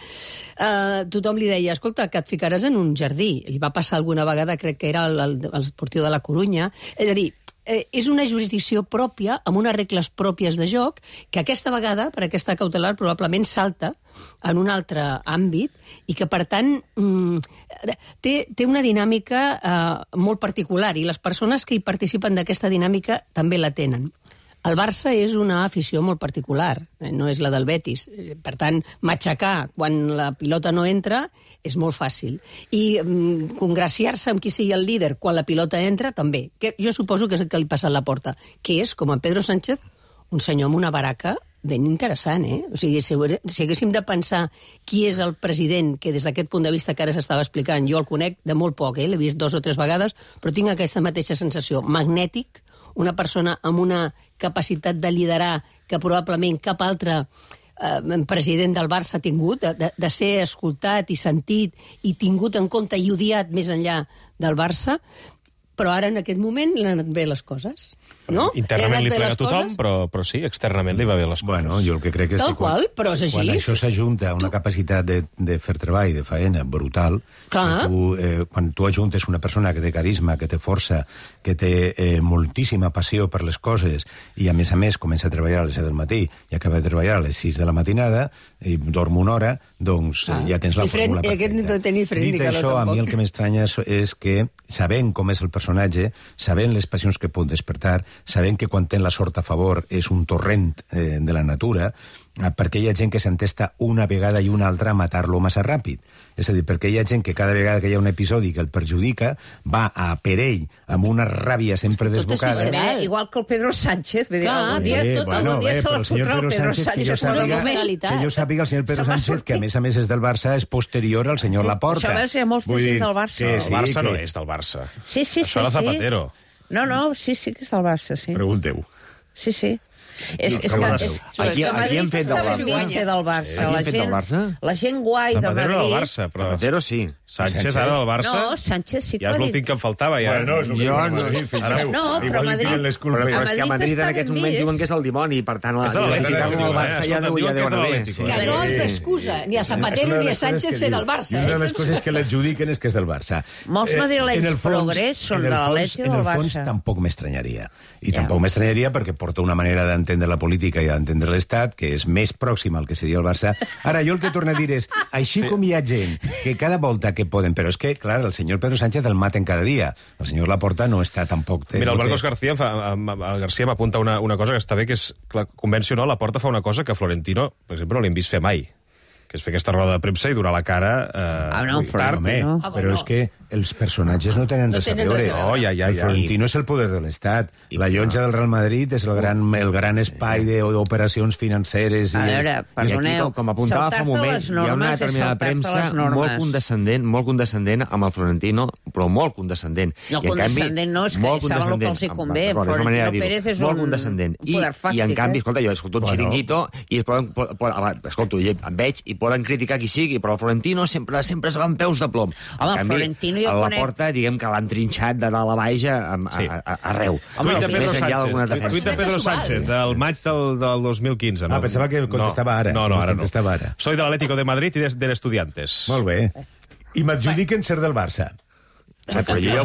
tothom li deia, escolta, que et ficaràs en un jardí. Li va passar alguna vegada, crec que era l'Esportiu de la Corunya. És a dir, és una jurisdicció pròpia, amb unes regles pròpies de joc, que aquesta vegada, per aquesta cautelar, probablement salta en un altre àmbit i que, per tant, té una dinàmica molt particular, i les persones que hi participen d'aquesta dinàmica també la tenen. El Barça és una afició molt particular, no és la del Betis. Per tant, matxacar quan la pilota no entra és molt fàcil. I congraciar-se amb qui sigui el líder quan la pilota entra, també. Que jo suposo que és el que li passa a la porta, que és, com en Pedro Sánchez, un senyor amb una baraca ben interessant, O sigui, si haguéssim de pensar qui és el president, que des d'aquest punt de vista que ara s'estava explicant, jo el conec de molt poc, l'he vist 2 o 3 vegades, però tinc aquesta mateixa sensació. Magnètic, una persona amb una capacitat de liderar que probablement cap altre president del Barça ha tingut, de ser escoltat i sentit i tingut en compte i odiat més enllà del Barça, però ara en aquest moment l'han anat bé les coses. no? Internament li plega a tothom, però sí, externament li va bé les coses. Bueno, jo el que crec és Tal que quan, qual, però és així. quan això s'ajunta a una capacitat de fer treball, de faena, brutal, quan tu ajuntes una persona que té carisma, que té força, que té moltíssima passió per les coses, i a més comença a treballar a les 7 del matí i acaba de treballar a les 6 de la matinada, i dorm una hora, doncs ja tens la fórmula perfecta. Aquest no té ni fred ni Dit calor, això, a tampoc. mi el que m'estranya és que, sabent com és el personatge, sabent les passions que pot despertar, sabent que quan té la sort a favor és un torrent de la natura, perquè hi ha gent que s'entesta una vegada i una altra a matar-lo massa ràpid. És a dir, perquè hi ha gent que cada vegada que hi ha un episodi que el perjudica va a per ell amb una ràbia sempre desbocada. Igual que el Pedro Sánchez. Clar, algun dia se la fotrà el Pedro Sánchez. Que jo sàpiga el senyor Pedro Sánchez, que a més és del Barça, és posterior al senyor Laporta. Això va ser molta gent del Barça. El Barça no és del Barça. Sí. Això era Zapatero. No, sí que és del Barça, sí. Pregunteu. Sí. És que Madrid està ben ser del Barça. La gent guai de Madrid... Zapatero del Barça, però... Zapatero sí. Sánchez ara del Barça... No, Sánchez sí que... Ja és l'últim que em faltava, ja. Bueno, és però és que a Madrid en aquests moments diuen que és el dimoni, per tant, el Barça ja deu anar bé. Que no els excusa ni a Zapatero ni a Sánchez ser del Barça. I una de les coses que l'adjudiquen és que és del Barça. Molts madrilenys progrés són de l'Atleti o del Barça. En el fons tampoc m'estranyaria. I tampoc m'estranyaria perquè porta una manera d'entendre la política i d'entendre l'Estat que és més pròxima al que seria el Barça. Ara, jo el que torno a dir és, així com hi ha gent que cada volta que poden... Però és que, clar, el senyor Pedro Sánchez el maten cada dia. El senyor Laporta no està tampoc... Mira, el Marcos García m'apunta una cosa que està bé, que és, convencional, Laporta fa una cosa que Florentino, per exemple, no l'hem vist fer mai, que és fer aquesta roda de premsa i donar la cara tard. Però és que els personatges no tenen res a veure. El Florentino és el poder de l'Estat. La llotja del Real Madrid és el gran espai d'operacions financeres. A veure, perdoneu, com apuntava fa un moment, hi ha una determinada premsa molt condescendent amb el Florentino, però molt condescendent. No, condescendent no, és que saben el que els hi convé. Florentino Pérez és un poder fàctic. I en canvi, escolta, jo escolto un xiringuito i escolto, em veig i poden criticar qui sigui, però el Florentino sempre es va amb peus de plom. Home, el Florentino jo conec... A la porta, diguem que l'han trinxat de dalt a baix arreu. Tuit de Pedro Sánchez, del maig del 2015. Pensava que contestava ara. No, ara no. Soy del Atlético de Madrid i del Estudiantes. Molt bé. I m'adjudiquen ser del Barça. Però jo ja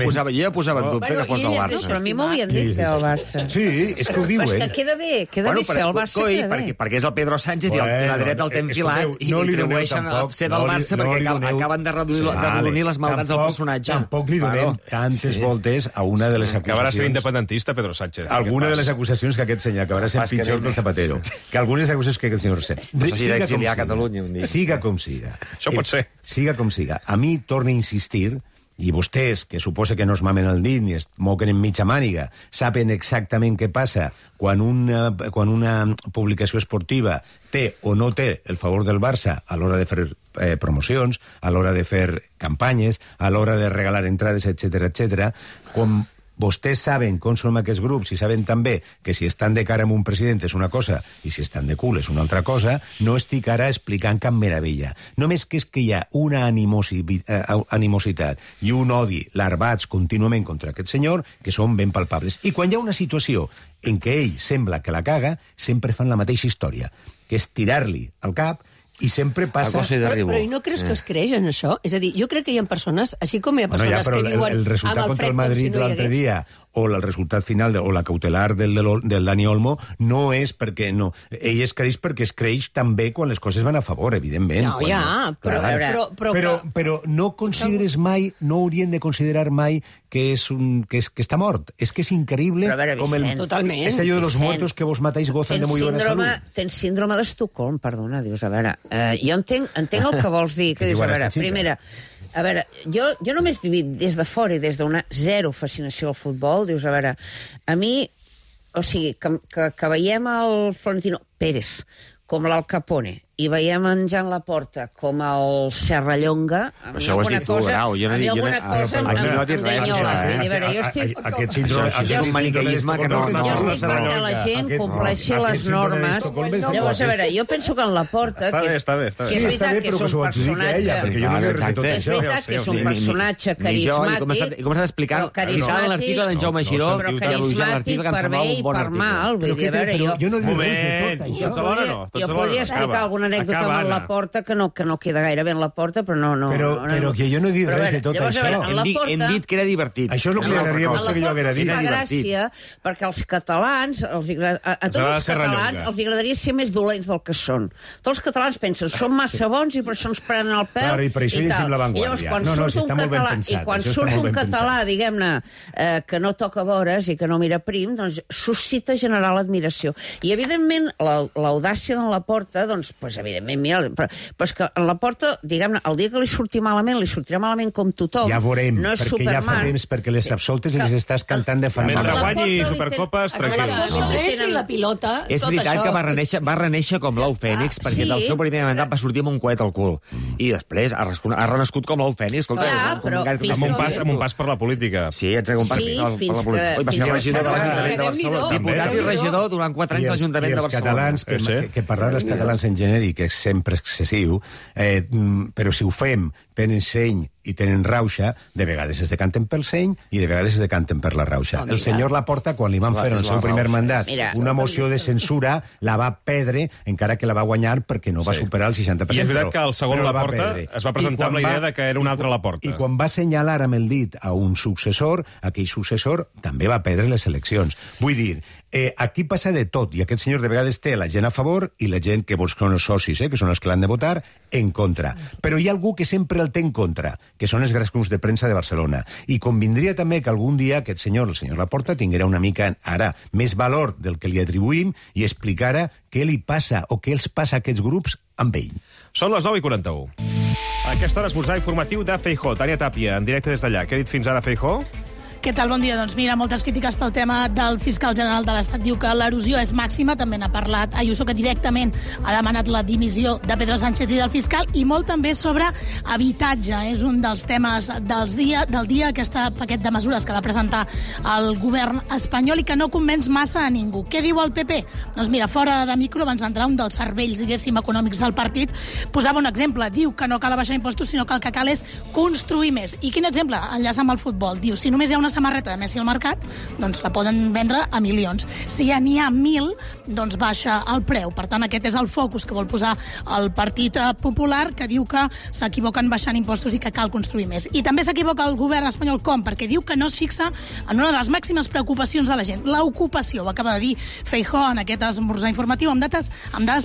posava en dubte que fos del Barça. Però a mi m'havien dit que era el Barça. Sí, és que ho diuen. És que queda bé ser el Barça. Perquè és el Pedro Sánchez i la dreta el té enfilat i li atribueixen ser del Barça perquè acaben de redonir les maldats del personatge. Tampoc li donem tantes voltes a una de les acusacions. Acabarà sent independentista, Pedro Sánchez. Alguna de les acusacions que aquest senyor acabarà sent pitjor que el Zapatero. Que algunes acusacions que aquest senyor sent. Siga com siga. Això pot ser. Siga com siga. A mi torna a insistir, i vostès, que suposa que no es mamen el dit ni es moquen en mitja màniga, saben exactament què passa quan una publicació esportiva té o no té el favor del Barça a l'hora de fer promocions, a l'hora de fer campanyes, a l'hora de regalar entrades, etc. Com vostès saben com són aquests grups i saben també que si estan de cara amb un president és una cosa i si estan de cul és una altra cosa, no estic ara explicant cap meravella. Només que és que hi ha una animositat i un odi larvats contínuament contra aquest senyor que són ben palpables. I quan hi ha una situació en què ell sembla que la caga, sempre fan la mateixa història, que és tirar-li al cap i sempre passa... Però i no creus que es creix en això? És a dir, jo crec que hi ha persones, així com hi ha persones que viuen el resultat contra el Madrid l'altre dia, o el resultat final, o la cautelar del Dani Olmo, no és perquè no. Ell es creix perquè es creix també quan les coses van a favor, evidentment. No, ja, però no consideres mai, no haurien de considerar mai que està mort. És que és increïble com el... Totalment. És allò de los muertos que vos matáis gozan de muy buena salud. Tens síndrome d'Estocolm, perdona, dius, a veure... Jo entenc el que vols dir, que dius, a veure, primera... A veure, jo només des de fora i des d'una zero fascinació al futbol, dius, a veure, a mi, o sigui, que veiem el Florentino Pérez com l'Al Capone i veiem en Jan Laporta com el Serrallonga, però això ho has dit tu, Grau. Jo no he dit res, Aquest síndrome és un maniqueisme que no... Jo estic perquè la gent compleixi les normes. Llavors, a veure, jo penso que en Laporta, que és veritat que és un personatge... És veritat que és un personatge carismàtic, he començat explicant l'article d'en Jaume Giró, però carismàtic per bé i per mal. Vull dir, a veure, jo podria explicar alguna anècdota amb Laporta que no queda gaire bé en Laporta, però no... Però que jo no he dit res de tot això. Hem dit que era divertit. Això és el que li agradaria a vostè que jo haguera dit. Fa gràcia, perquè els catalans, a tots els catalans els agradaria ser més dolents del que són. Tots els catalans pensen, són massa bons i per això ens prenen el pèl i per això llegim l'avantguàrdia. I quan surt un català, diguem-ne, que no toca vores i que no mira prim, doncs suscita generar l'admiració. I, evidentment, l'audàcia d'en Laporta, doncs, evidentment, mira, però és que en Laporta, diguem-ne, el dia que li sortirà malament com tothom. Ja veurem, perquè ja fa temps, perquè les absoltes les estàs cantant de fa... Mentre guanyi Supercopes, tranquil. La pilota, és veritat que va reneixer com l'ou fènix, perquè del seu primer mandat va sortir amb un coet al cul. I després ha renascut com l'ou fènix. Amb un pas per la política. Sí, exacte, un pas per la política. Va ser regidor de l'Ajuntament de Barcelona. Diputat i regidor durant 4 anys de l'Ajuntament de Barcelona. Que parlar dels catalans en genèric és sempre excessiu, però si ho fem, tenen seny i tenen rauxa, de vegades es decanten pel seny i de vegades es decanten per la rauxa. El senyor Laporta, quan li van fer en el seu primer mandat una moció de censura, la va perdre, encara que la va guanyar perquè no va superar el 60%. I és veritat que el segon Laporta es va presentar amb la idea que era un altre Laporta. I quan va assenyalar amb el dit a un successor, aquell successor també va perdre les eleccions. Vull dir, aquí passa de tot, i aquest senyor de vegades té la gent a favor i la gent que vols que són els socis, que són els que l'han de votar, en contra. Però hi ha algú que sempre el té en contra, que són els grans grups de premsa de Barcelona. I convindria també que algun dia aquest senyor, el senyor Laporta, tinguera una mica, ara, més valor del que li atribuïm i explicara què li passa o què els passa a aquests grups amb ell. Són les 9:41. A aquesta hora esmorzar informatiu de Feijóo. Tània Tàpia, en directe des d'allà. Què ha dit fins ara Feijóo? Què tal? Bon dia. Doncs mira, moltes crítiques pel tema del fiscal general de l'Estat. Diu que l'erosió és màxima. També n'ha parlat Ayuso, que directament ha demanat la dimissió de Pedro Sánchez i del fiscal, i molt també sobre habitatge. És un dels temes del dia, aquest paquet de mesures que va presentar el govern espanyol i que no convenç massa a ningú. Què diu el PP? Doncs mira, fora de micro, abans d'entrar, un dels cervells, diguéssim, econòmics del partit, posava un exemple. Diu que no cal abaixar impostos, sinó que el que cal és construir més. I quin exemple? Enllaça amb el futbol. Diu, si només hi ha una samarreta de Messi al mercat, doncs la poden vendre a milions. Si ja n'hi ha 1.000, doncs baixa el preu. Per tant, aquest és el focus que vol posar el Partit Popular, que diu que s'equivoquen baixant impostos i que cal construir més. I també s'equivoca el govern espanyol. Com? Perquè diu que no es fixa en una de les màximes preocupacions de la gent, l'ocupació. Ho acaba de dir Feijóo en aquest esmorzar informatiu amb dades,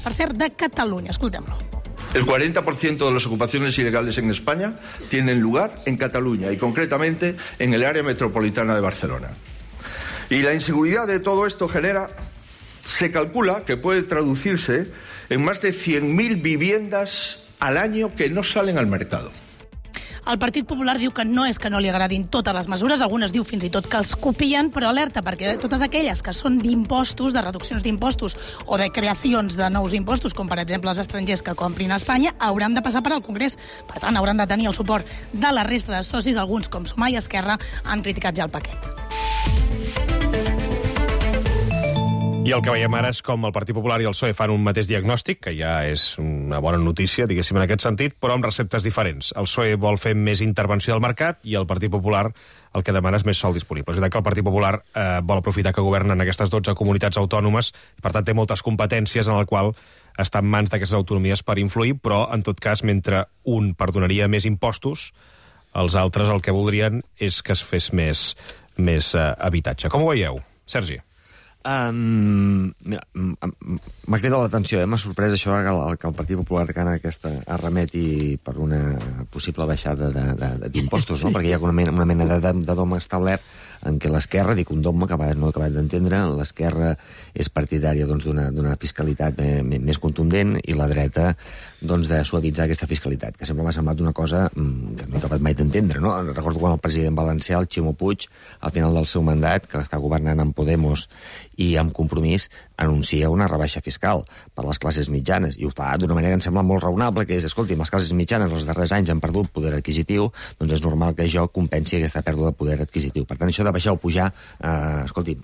per cert, de Catalunya. Escoltem-lo. El 40% de las ocupaciones ilegales en España tienen lugar en Cataluña y concretamente en el área metropolitana de Barcelona. Y la inseguridad de todo esto se calcula que puede traducirse en más de 100.000 viviendas al año que no salen al mercado. El Partit Popular diu que no és que no li agradin totes les mesures, algunes diu fins i tot que els copien, però alerta, perquè totes aquelles que són d'impostos, de reduccions d'impostos o de creacions de nous impostos, com per exemple els estrangers que comprin a Espanya, hauran de passar per al Congrés. Per tant, hauran de tenir el suport de la resta de socis. Alguns, com Sumar i Esquerra, han criticat ja el paquet. I el que veiem ara és com el Partit Popular i el PSOE fan un mateix diagnòstic, que ja és una bona notícia, diguéssim, en aquest sentit, però amb receptes diferents. El PSOE vol fer més intervenció del mercat i el Partit Popular el que demana és més sòl disponible. És veritat que el Partit Popular vol aprofitar que governen aquestes 12 comunitats autònomes, i per tant té moltes competències en el qual està en mans d'aquestes autonomies per influir, però en tot cas, mentre un perdonaria més impostos, els altres el que voldrien és que es fes més habitatge. Com ho veieu, Sergi? Mira, m'ha cridat l'atenció, m'ha sorprès això que el Partit Popular arremeti per una possible baixada d'impostos, no? Perquè hi ha una mena de dom establert en què l'esquerra, dic un dogma que no he acabat d'entendre, l'esquerra és partidària d'una fiscalitat més contundent i la dreta de suavitzar aquesta fiscalitat, que sempre m'ha semblat una cosa que no he acabat mai d'entendre, no? Recordo quan el president valencià, el Ximo Puig, al final del seu mandat, que està governant amb Podemos i amb Compromís, anuncia una rebaixa fiscal per les classes mitjanes, i ho fa d'una manera que em sembla molt raonable, que és, escolti, les classes mitjanes els darrers anys han perdut poder adquisitiu, doncs és normal que jo compensi aquesta pèrdua de poder adquisitiu. Per tant, això de baixar o pujar, escolti,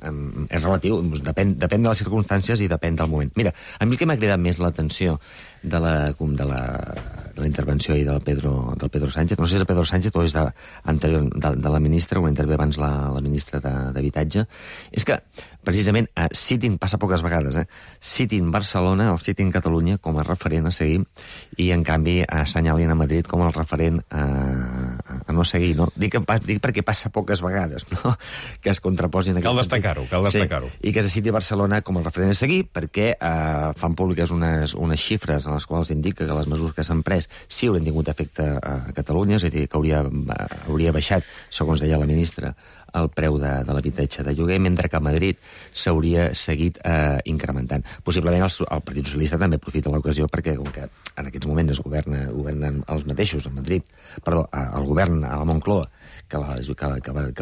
és relatiu, depèn de les circumstàncies i depèn del moment. Mira, a mi el que m'ha cridat més l'atenció de la intervenció del Pedro Sánchez, no sé si és el Pedro Sánchez o és de la ministra, una intervé abans la ministra d'Habitatge, és que, precisament, citin, passa poques vegades, citin Barcelona o citin Catalunya com a referent a seguir i, en canvi, assenyalin a Madrid com el referent a no seguir, no? Dic perquè passa poques vegades, no?, que es contraposin... Cal destacar-ho. Sí, i que se citi Barcelona com el referent a seguir perquè fan públiques unes xifres en les quals indica que les mesures que s'han pres sí haurien tingut efecte a Catalunya, és a dir, que hauria baixat, segons deia la ministra, el preu de l'habitatge de lloguer, mentre que a Madrid s'hauria seguit incrementant. Possiblement el Partit Socialista també aprofita l'ocasió perquè, com que en aquests moments governen els mateixos a Madrid, perdó, el govern a la Moncloa que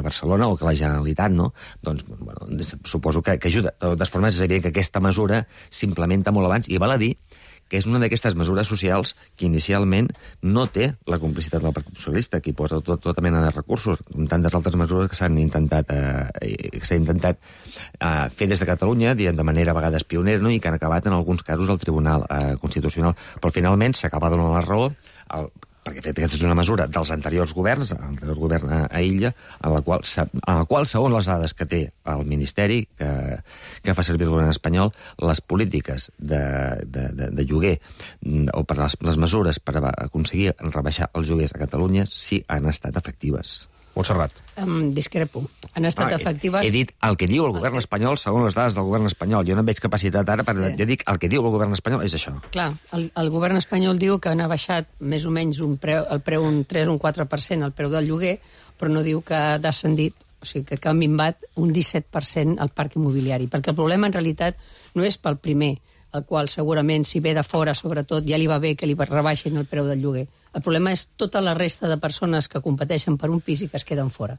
Barcelona o que la Generalitat, no? Doncs, bueno, suposo que ajuda. De totes formes, és evident que aquesta mesura s'implementa molt abans, i val a dir que és una d'aquestes mesures socials que inicialment no té la complicitat del Partit Socialista, que hi posa tota mena de recursos, com tantes altres mesures que s'han intentat fer des de Catalunya, de manera a vegades pionera, no?, i que han acabat en alguns casos al Tribunal Constitucional. Però finalment s'acaba donant la raó perquè aquesta és una mesura dels anteriors governs, l'anterior govern a Illa, en la qual, segons les dades que té el Ministeri, que fa servir el govern espanyol, les polítiques de lloguer, o per les mesures per aconseguir rebaixar els lloguers a Catalunya, sí han estat efectives. Montserrat. Discrepo. Han estat efectives... He dit el que diu el govern espanyol segons les dades del govern espanyol. Jo no veig capacitat ara, però jo dic el que diu el govern espanyol és això. Clar, el govern espanyol diu que ha baixat més o menys el preu un 3 o un 4% el preu del lloguer, però no diu que ha descendit, o sigui, que ha minvat un 17% el parc immobiliari. Perquè el problema, en realitat, no és pel primer, el qual segurament, si ve de fora, sobretot, ja li va bé que li rebaixin el preu del lloguer. El problema és tota la resta de persones que competeixen per un pis i que es queden fora.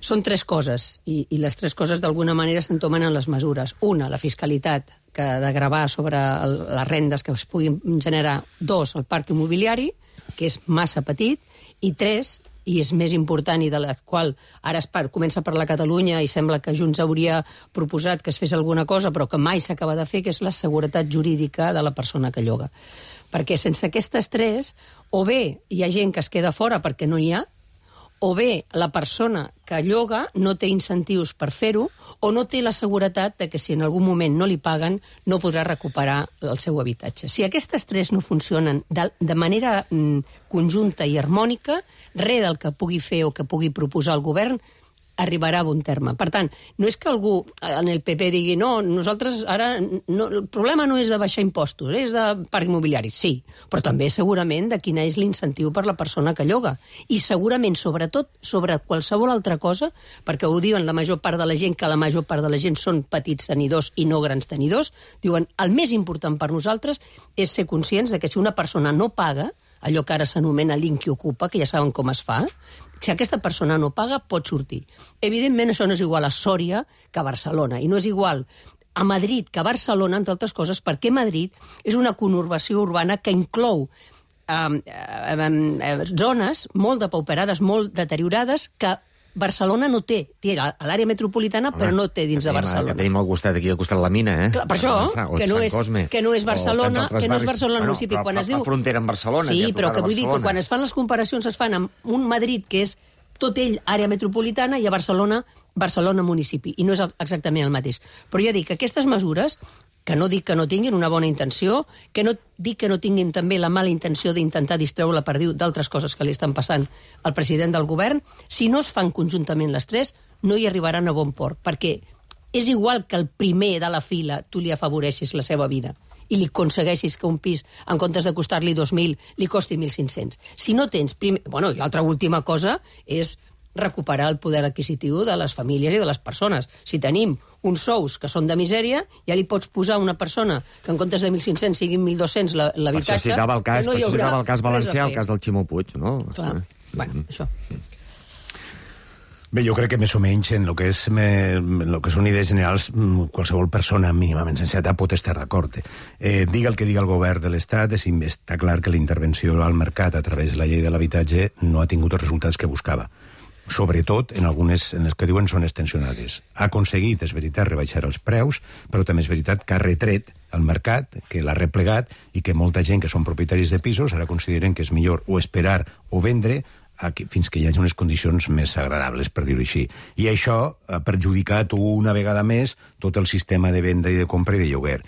Són tres coses, i les tres coses d'alguna manera s'entomen en les mesures. Una, la fiscalitat, que ha de gravar sobre les rendes que es puguin generar. Dos, el parc immobiliari, que és massa petit. I tres, i és més important i de la qual ara comença a parlar Catalunya i sembla que Junts hauria proposat que es fes alguna cosa però que mai s'acaba de fer, que és la seguretat jurídica de la persona que lloga. Perquè sense aquestes tres, o bé hi ha gent que es queda fora perquè no hi ha, o bé la persona que lloga no té incentius per fer-ho, o no té la seguretat de que si en algun moment no li paguen no podrà recuperar el seu habitatge. Si aquestes tres no funcionen de manera conjunta i harmònica, res del que pugui fer o que pugui proposar el govern arribarà a bon terme. Per tant, no és que algú en el PP digui no, nosaltres ara... No, el problema no és de baixar impostos, és de parc immobiliari, sí, però també segurament de quin és l'incentiu per la persona que lloga. I segurament, sobretot, sobre qualsevol altra cosa, perquè ho diuen la major part de la gent, que la major part de la gent són petits tenidors i no grans tenidors, diuen el més important per nosaltres és ser conscients de que si una persona no paga, allò que ara s'anomena l'Inqui Ocupa, que ja saben com es fa, si aquesta persona no paga, pot sortir. Evidentment, això no és igual a Sòria que a Barcelona, i no és igual a Madrid que a Barcelona, entre altres coses, perquè Madrid és una conurbació urbana que inclou zones molt depauperades, molt deteriorades, que Barcelona no té. Té a l'àrea metropolitana, però no té dins de Barcelona. Que tenim al costat, aquí al costat de la mina, Clar, per això, que no és Barcelona, que no és Barcelona el municipi. Quan es diu... Fa frontera amb Barcelona. Sí, però que vull dir que quan es fan les comparacions es fan amb un Madrid que és tot ell àrea metropolitana i a Barcelona municipi. I no és exactament el mateix. Però ja dic que aquestes mesures, que no dic que no tinguin una bona intenció, que no dic que no tinguin també la mala intenció d'intentar distreure la perdiu d'altres coses que li estan passant al president del govern, si no es fan conjuntament les tres, no hi arribaran a bon port, perquè és igual que el primer de la fila tu li afavoreixis la seva vida i li aconsegueixis que un pis, en comptes de costar-li 2.000, li costi 1.500. Si no tens... Bueno, i l'altra última cosa és recuperar el poder adquisitiu de les famílies i de les persones. Si tenim uns sous que són de misèria, ja li pots posar a una persona que en comptes de 1.500 siguin 1.200 l'habitatge... Per això citava el cas valencià, el cas del Ximo Puig, no? Clar, bueno, això... Bé, jo crec que més o menys en el que són idees generals qualsevol persona mínimament sensata pot estar d'acord. Diga el que diga el govern de l'Estat, està clar que la intervenció al mercat a través de la llei de l'habitatge no ha tingut els resultats que buscava. Sobretot en algunes en les que diuen són extensionades. Ha aconseguit, és veritat, rebaixar els preus, però també és veritat que ha retret al mercat, que l'ha replegat i que molta gent que són propietaris de pisos ara consideren que és millor o esperar o vendre fins que hi hagi unes condicions més agradables, per dir-ho així. I això ha perjudicat una vegada més tot el sistema de venda i de compra i de lloguer.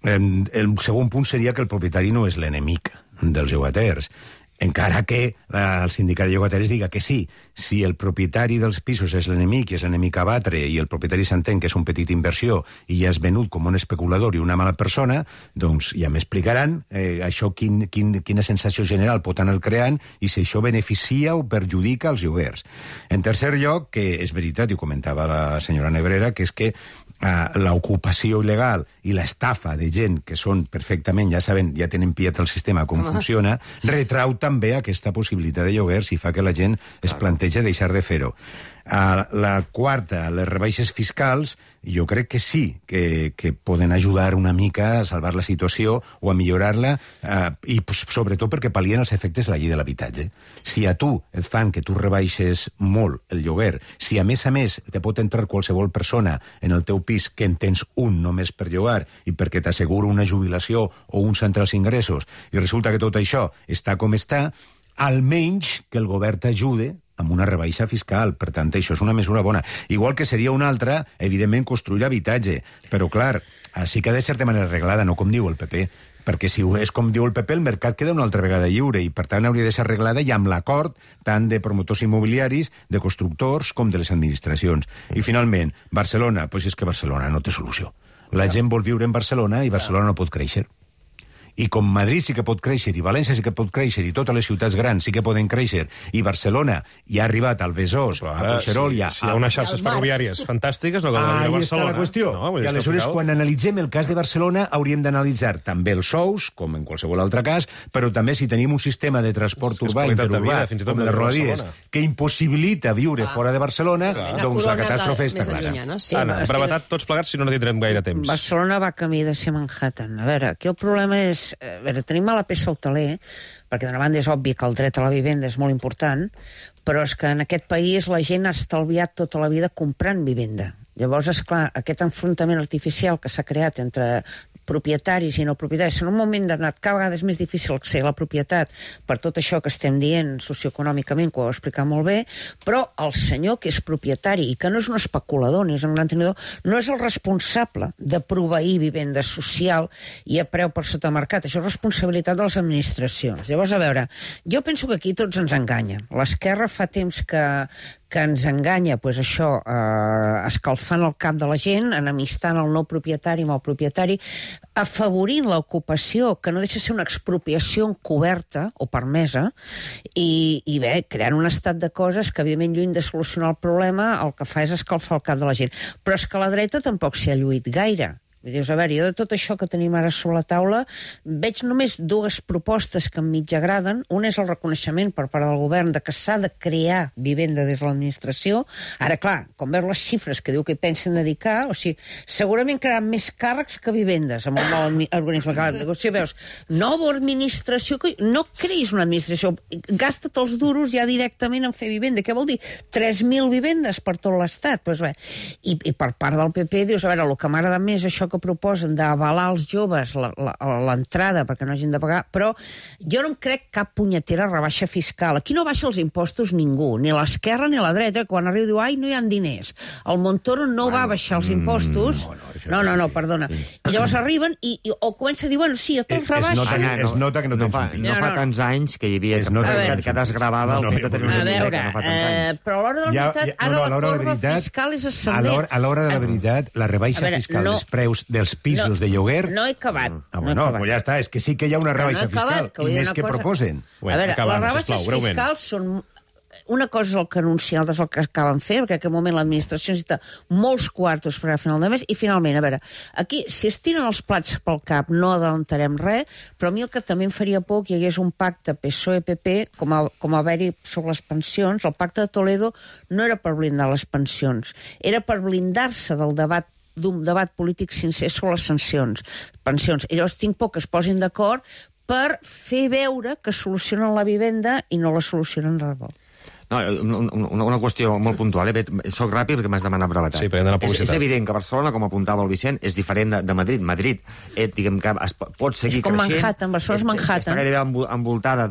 El segon punt seria que el propietari no és l'enemic dels llogaters, encara que el sindicat de llogateres diga que sí. Si el propietari dels pisos és l'enemic i és l'enemic a batre i el propietari s'entén que és un petit inversió i ja és venut com un especulador i una mala persona, doncs ja m'explicaran això quina sensació general pot anar creant i si això beneficia o perjudica els lloguers. En tercer lloc, que és veritat, i ho comentava la senyora Nebrera, que és que l'ocupació il·legal i l'estafa de gent que són perfectament, ja saben, ja tenen pillat el sistema com funciona, retrau també aquesta possibilitat de lloguers i fa que la gent es planteja deixar de fer-ho. La quarta, les rebaixes fiscals, jo crec que sí, que poden ajudar una mica a salvar la situació o a millorar-la, i sobretot perquè pal·lien els efectes de la llei de l'habitatge. Si a tu et fan que tu rebaixes molt el lloguer, si a més te pot entrar qualsevol persona en el teu pis que en tens un només per llogar i perquè t'assegura una jubilació o uns altres ingressos, i resulta que tot això està com està, almenys que el govern t'ajude amb una rebaixa fiscal. Per tant, això és una mesura bona. Igual que seria una altra, evidentment, construir habitatge. Però, clar, sí que ha de ser de manera arreglada, no com diu el PP, perquè si és com diu el PP, el mercat queda una altra vegada lliure i, per tant, hauria de ser arreglada i amb l'acord tant de promotors immobiliaris, de constructors, com de les administracions. I, finalment, Barcelona, doncs és que Barcelona no té solució. La gent vol viure en Barcelona i Barcelona no pot créixer. I com Madrid sí que pot créixer, i València sí que pot créixer, i totes les ciutats grans sí que poden créixer, i Barcelona ja ha arribat al Besòs, a Puigcerol... Si hi ha unes xarxes ferroviàries fantàstiques, no cal venir a Barcelona. Ahí està la qüestió. I aleshores, quan analitzem el cas de Barcelona, hauríem d'analitzar també els sous, com en qualsevol altre cas, però també si tenim un sistema de transport urbà, interurbà, com les Rodalies, que impossibilita viure fora de Barcelona, doncs la catàstrofe està clara. Anna, brevetat tots plegats, si no tindrem gaire temps. Barcelona va camí de ser Manhattan. A veure, aquí el problema és... A veure, tenim a la peça al taler, perquè d'una banda és obvi que el dret a la vivenda és molt important, però és que en aquest país la gent ha estalviat tota la vida comprant vivenda. Llavors, esclar, aquest enfrontament artificial que s'ha creat entre propietaris i no propietaris, en un moment donat cada vegada és més difícil accedir a la propietat per tot això que estem dient socioeconòmicament, que ho ha explicat molt bé, però el senyor que és propietari i que no és un especulador ni és un gran tenidor, no és el responsable de proveir vivenda social i a preu per sota mercat. Això és responsabilitat de les administracions. Llavors, a veure, jo penso que aquí tots ens enganyen. L'esquerra fa temps que ens enganya, doncs això, escalfant el cap de la gent, enemistant el no propietari amb el propietari, afavorint l'ocupació, que no deixa ser una expropiació encoberta o permesa, i bé, creant un estat de coses que, evidentment, lluny de solucionar el problema, el que fa és escalfar el cap de la gent. Però és que la dreta tampoc s'hi ha lluït gaire. Dius, a veure, jo de tot això que tenim ara sobre la taula veig només dues propostes que em mig agraden. Una és el reconeixement per part del govern de que s'ha de crear vivenda des de l'administració. Ara, clar, com veus les xifres que diu que hi pensen dedicar, o sigui, segurament crearan més càrrecs que vivendes amb el nou organisme. O sigui, veus, nova administració, no creïs una administració, gasta't els duros ja directament en fer vivenda. Què vol dir? 3.000 vivendes per tot l'Estat. Pues bé, i per part del PP dius, a veure, el que m'agrada més això que proposen d'avalar als joves l'entrada perquè no hagin de pagar, però jo no em crec cap punyetera rebaixa fiscal. Aquí no baixa els impostos ningú, ni l'esquerra ni la dreta, quan arriba diu, ai, no hi ha diners. El Montoro no va baixar els impostos. No, perdona. I llavors arriben o comença a dir, bueno, sí, jo te'ls rebaixo. Es nota que no tens un pit. No fa tants anys que hi havia que desgravava el fet de tenir una hipoteca, no fa tants anys. Però a l'hora de la veritat, ara la corba fiscal és ascendent. A l'hora de la veritat, la rebaixa fiscal dels preus dels pisos de lloguer... No he acabat. Bueno, pues ja està, és que sí que hi ha una rebaixa fiscal, i més que proposen. A veure, les rebaixes fiscals són una cosa és el que anuncien, altres el que acaben fent, perquè en aquest moment l'administració necessita molts quartos per a final de mes, i finalment, a veure, aquí, si es tiren els plats pel cap, no adelantarem res, però a mi el que també em faria por que hi hagués un pacte PSOE-PP, com a haver-hi sobre les pensions. El pacte de Toledo no era per blindar les pensions, era per blindar-se d'un debat polític sincer sobre les pensions. I llavors tinc por que es posin d'acord per fer veure que solucionen la vivenda i no la solucionen res. No, una qüestió molt puntual. Soc ràpid perquè m'has demanat brevetat. Sí, perquè hem d'anar a publicitat. És evident que Barcelona, com apuntava el Vicent, és diferent de Madrid. Madrid, diguem que pot seguir creixent. És com Manhattan, Barcelona és Manhattan. Està gairebé envoltada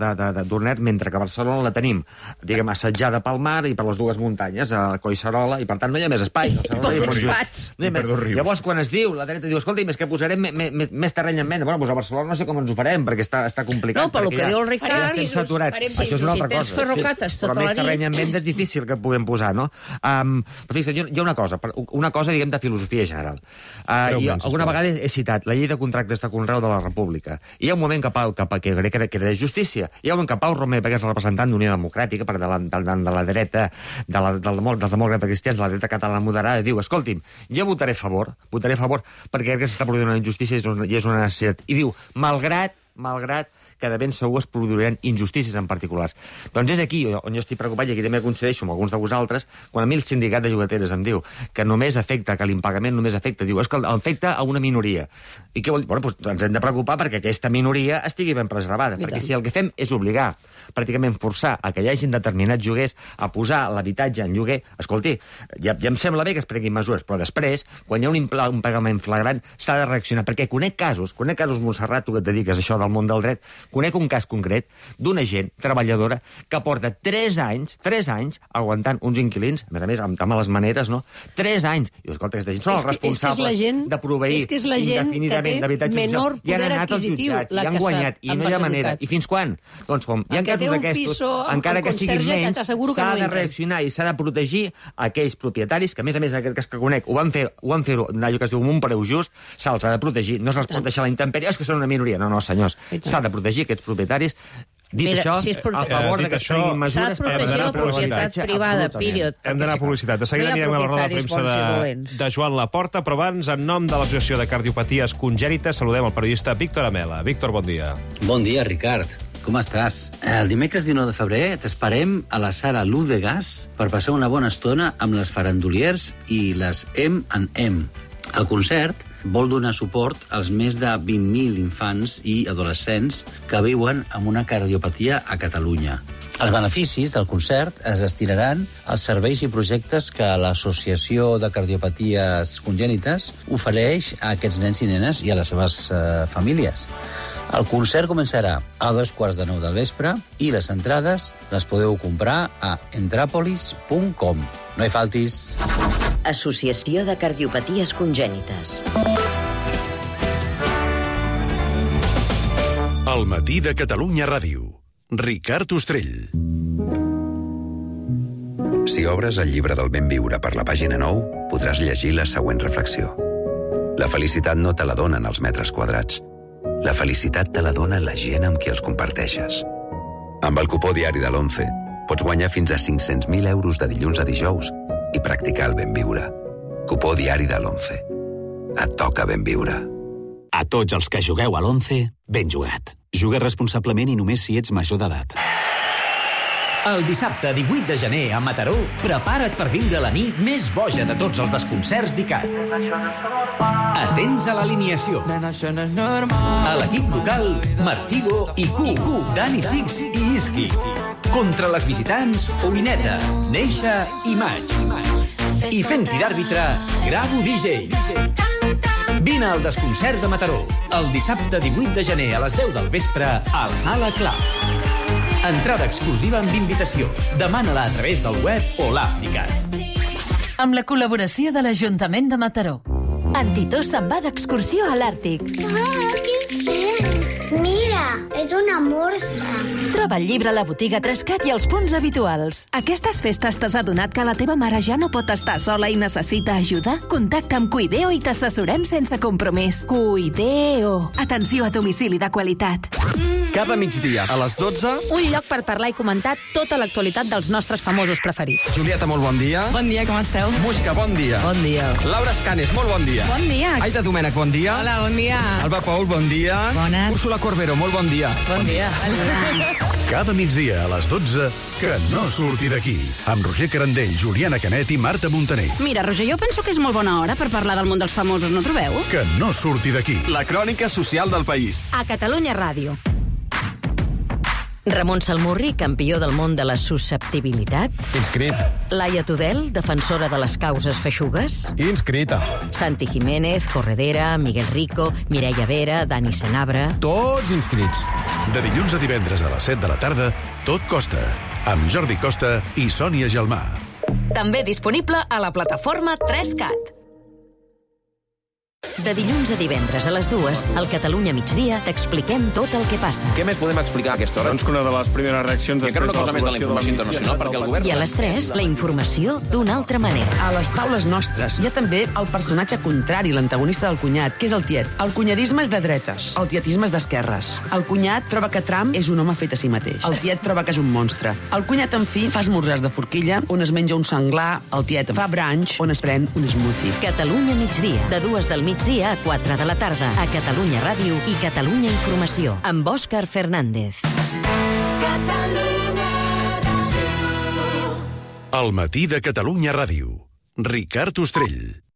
d'Ornet, mentre que Barcelona la tenim, diguem, assetjada pel mar i per les dues muntanyes, a Collserola, i per tant no hi ha més espai. Llavors, quan es diu, la dreta diu, escolta, és que posarem més terreny en venda. Bueno, doncs a Barcelona no sé com ens ho farem, perquè està complicat. No, pel que diu el Ricard, si tens ferrocates tota la nit, en venda és difícil que puguem posar, no? Però fixa't, hi ha una cosa, diguem, de filosofia general. Alguna vegada he citat la llei de contractes de conreu de la República. Hi ha un moment que crec que era de justícia. Hi ha un moment que Pau Romer, perquè és representant d'Unió Democràtica, de la dreta, dels demòcrates cristians, de la dreta catalana moderada, diu, escolti'm, jo votaré a favor, perquè crec que s'està produint una injustícia i és una necessitat. I diu, malgrat que de ben segur es produiran injustícies en particulars. Doncs és aquí on jo estic preocupat, i aquí també coincideixo amb alguns de vosaltres, quan a mi el sindicat de llogateres em diu que només afecta, que l'impagament només afecta, diu, és que afecta a una minoria. I què vol dir? Bueno, doncs ens hem de preocupar perquè aquesta minoria estigui ben preservada, perquè si el que fem és obligar, pràcticament forçar a que hi hagin determinats lloguers a posar l'habitatge en lloguer, escolti, ja em sembla bé que es prenguin mesures, però després, quan hi ha un pagament flagrant, s'ha de reaccionar, perquè conec casos, Montserrat, tu que et dediques a això del món del dret, conec un cas concret d'una gent treballadora que porta 3 anys aguantant uns inquilins, a més, amb males maneres, no? 3 anys. I escolta, aquesta gent són els responsables de proveir indefinidament d'habitatge social. I han anat als jutjats, i han guanyat, i no hi ha manera. I fins quan? Doncs com hi ha casos d'aquestos, encara que siguin menys, s'ha de reaccionar i s'ha de protegir aquells propietaris que, a més, aquest cas que conec, ho van fer allò que es diu un preu just, se'ls ha de protegir, no se'ls pot deixar la intempèrie, és que són una minoria. No, senyors, s'ha de protegir aquests propietaris. Dit això, a favor que es prenguin mesures per protegir la propietat privada, period. Hem d'anar a publicitat. De seguida anirem a la roda de premsa de Joan Laporta, però abans, en nom de l'Associació de Cardiopaties Congènites, saludem el periodista Víctor Amela. Víctor, bon dia. Bon dia, Ricard. Com estàs? El dimecres 19 de febrer t'esperem a la sala Luz de Gas per passar una bona estona amb les farandoliers i les M&M. El concert vol donar suport als més de 20.000 infants i adolescents que viuen amb una cardiopatia a Catalunya. Els beneficis del concert es destinaran als serveis i projectes que l'Associació de Cardiopaties Congènites ofereix a aquests nens i nenes i a les seves famílies. El concert començarà a 9:15 del vespre i les entrades les podeu comprar a entrapolis.com. No hi faltis. Associació de Cardiopaties Congènites. El matí de Catalunya Ràdio. Ricard Ostrell. Si obres el llibre del ben viure per la pàgina 9, podràs llegir la següent reflexió. La felicitat no te la donen els metres quadrats. La felicitat te la dona la gent amb qui els comparteixes. Amb el cupó diari de l'11 pots guanyar fins a 500.000 euros de dilluns a dijous i practicar el ben viure. Cupó diari de l'11. Et toca ben viure. A tots els que jugueu a l'11, ben jugat. Juga responsablement i només si ets major d'edat. El dissabte 18 de gener a Mataró, prepara't per viure la nit més boja de tots els desconcerts d'ICAT. Atents a l'alineació. A l'equip local, Martigo i Q, Dani Six i Iski. Contra les visitants, Oineta, Neixa i Maig. I fent-hi d'àrbitre, Gravo DJ. Vine al desconcert de Mataró, el dissabte 18 de gener a les 10 del vespre al Sala Club. Entrada exclusiva amb invitació. Demana-la a través del web o l'app d'ICAT. Amb la col·laboració de l'Ajuntament de Mataró. Antitó se'n va d'excursió a l'Àrtic. Ah, quin fred! Mira, és una morsa. Troba el llibre a la botiga Trescat i als punts habituals. Aquestes festes t'has adonat que la teva mare ja no pot estar sola i necessita ajuda? Contacta amb Cuideo i t'assessorem sense compromís. Cuideo. Atenció a domicili de qualitat. Cada migdia a les 12... Un lloc per parlar i comentar tota l'actualitat dels nostres famosos preferits. Julieta, molt bon dia. Bon dia, com esteu? Música, bon dia. Bon dia. Laura Escanes, molt bon dia. Bon dia. Aida Domènech, bon dia. Hola, bon dia. Alba Paul, bon dia. Bones. Úrsula Corbero, molt bon dia. Bon dia. Cada migdia a les 12, que no surti d'aquí. Amb Roger Carandell, Juliana Canet i Marta Montaner. Mira, Roger, jo penso que és molt bona hora per parlar del món dels famosos, no trobeu? Que no surti d'aquí. La crònica social del país. A Catalunya Ràdio. Ramon Salmurri, campió del món de la susceptibilitat. Inscrit. Laia Tudel, defensora de les causes feixugues. Inscrita. Santi Jiménez, Corredera, Miguel Rico, Mireia Vera, Dani Senabre... Tots inscrits. De dilluns a divendres a les 7 de la tarda, Tot Costa, amb Jordi Costa i Sònia Gelmà. També disponible a la plataforma 3CAT. De dilluns a divendres a les 2, al Catalunya Migdia, t'expliquem tot el que passa. Què més podem explicar a aquesta hora? Doncs que una de les primeres reaccions... I encara una cosa més de la informació internacional, perquè el govern... I a les 3, la informació d'una altra manera. A les taules nostres hi ha també el personatge contrari, l'antagonista del cunyat, que és el tiet. El cunyadisme és de dretes, el tietisme és d'esquerres. El cunyat troba que Trump és un home fet a si mateix. El tiet troba que és un monstre. El cunyat, en fi, fa esmorzars de forquilla, on es menja un senglar. El tiet fa brunch, on es pren un smoothie. Catalunya Migdia, de 2 del migdia a 4 de la tarda, a Catalunya Ràdio i Catalunya Informació, amb Òscar Fernández. El matí de Catalunya Ràdio. Ricard Ostrell.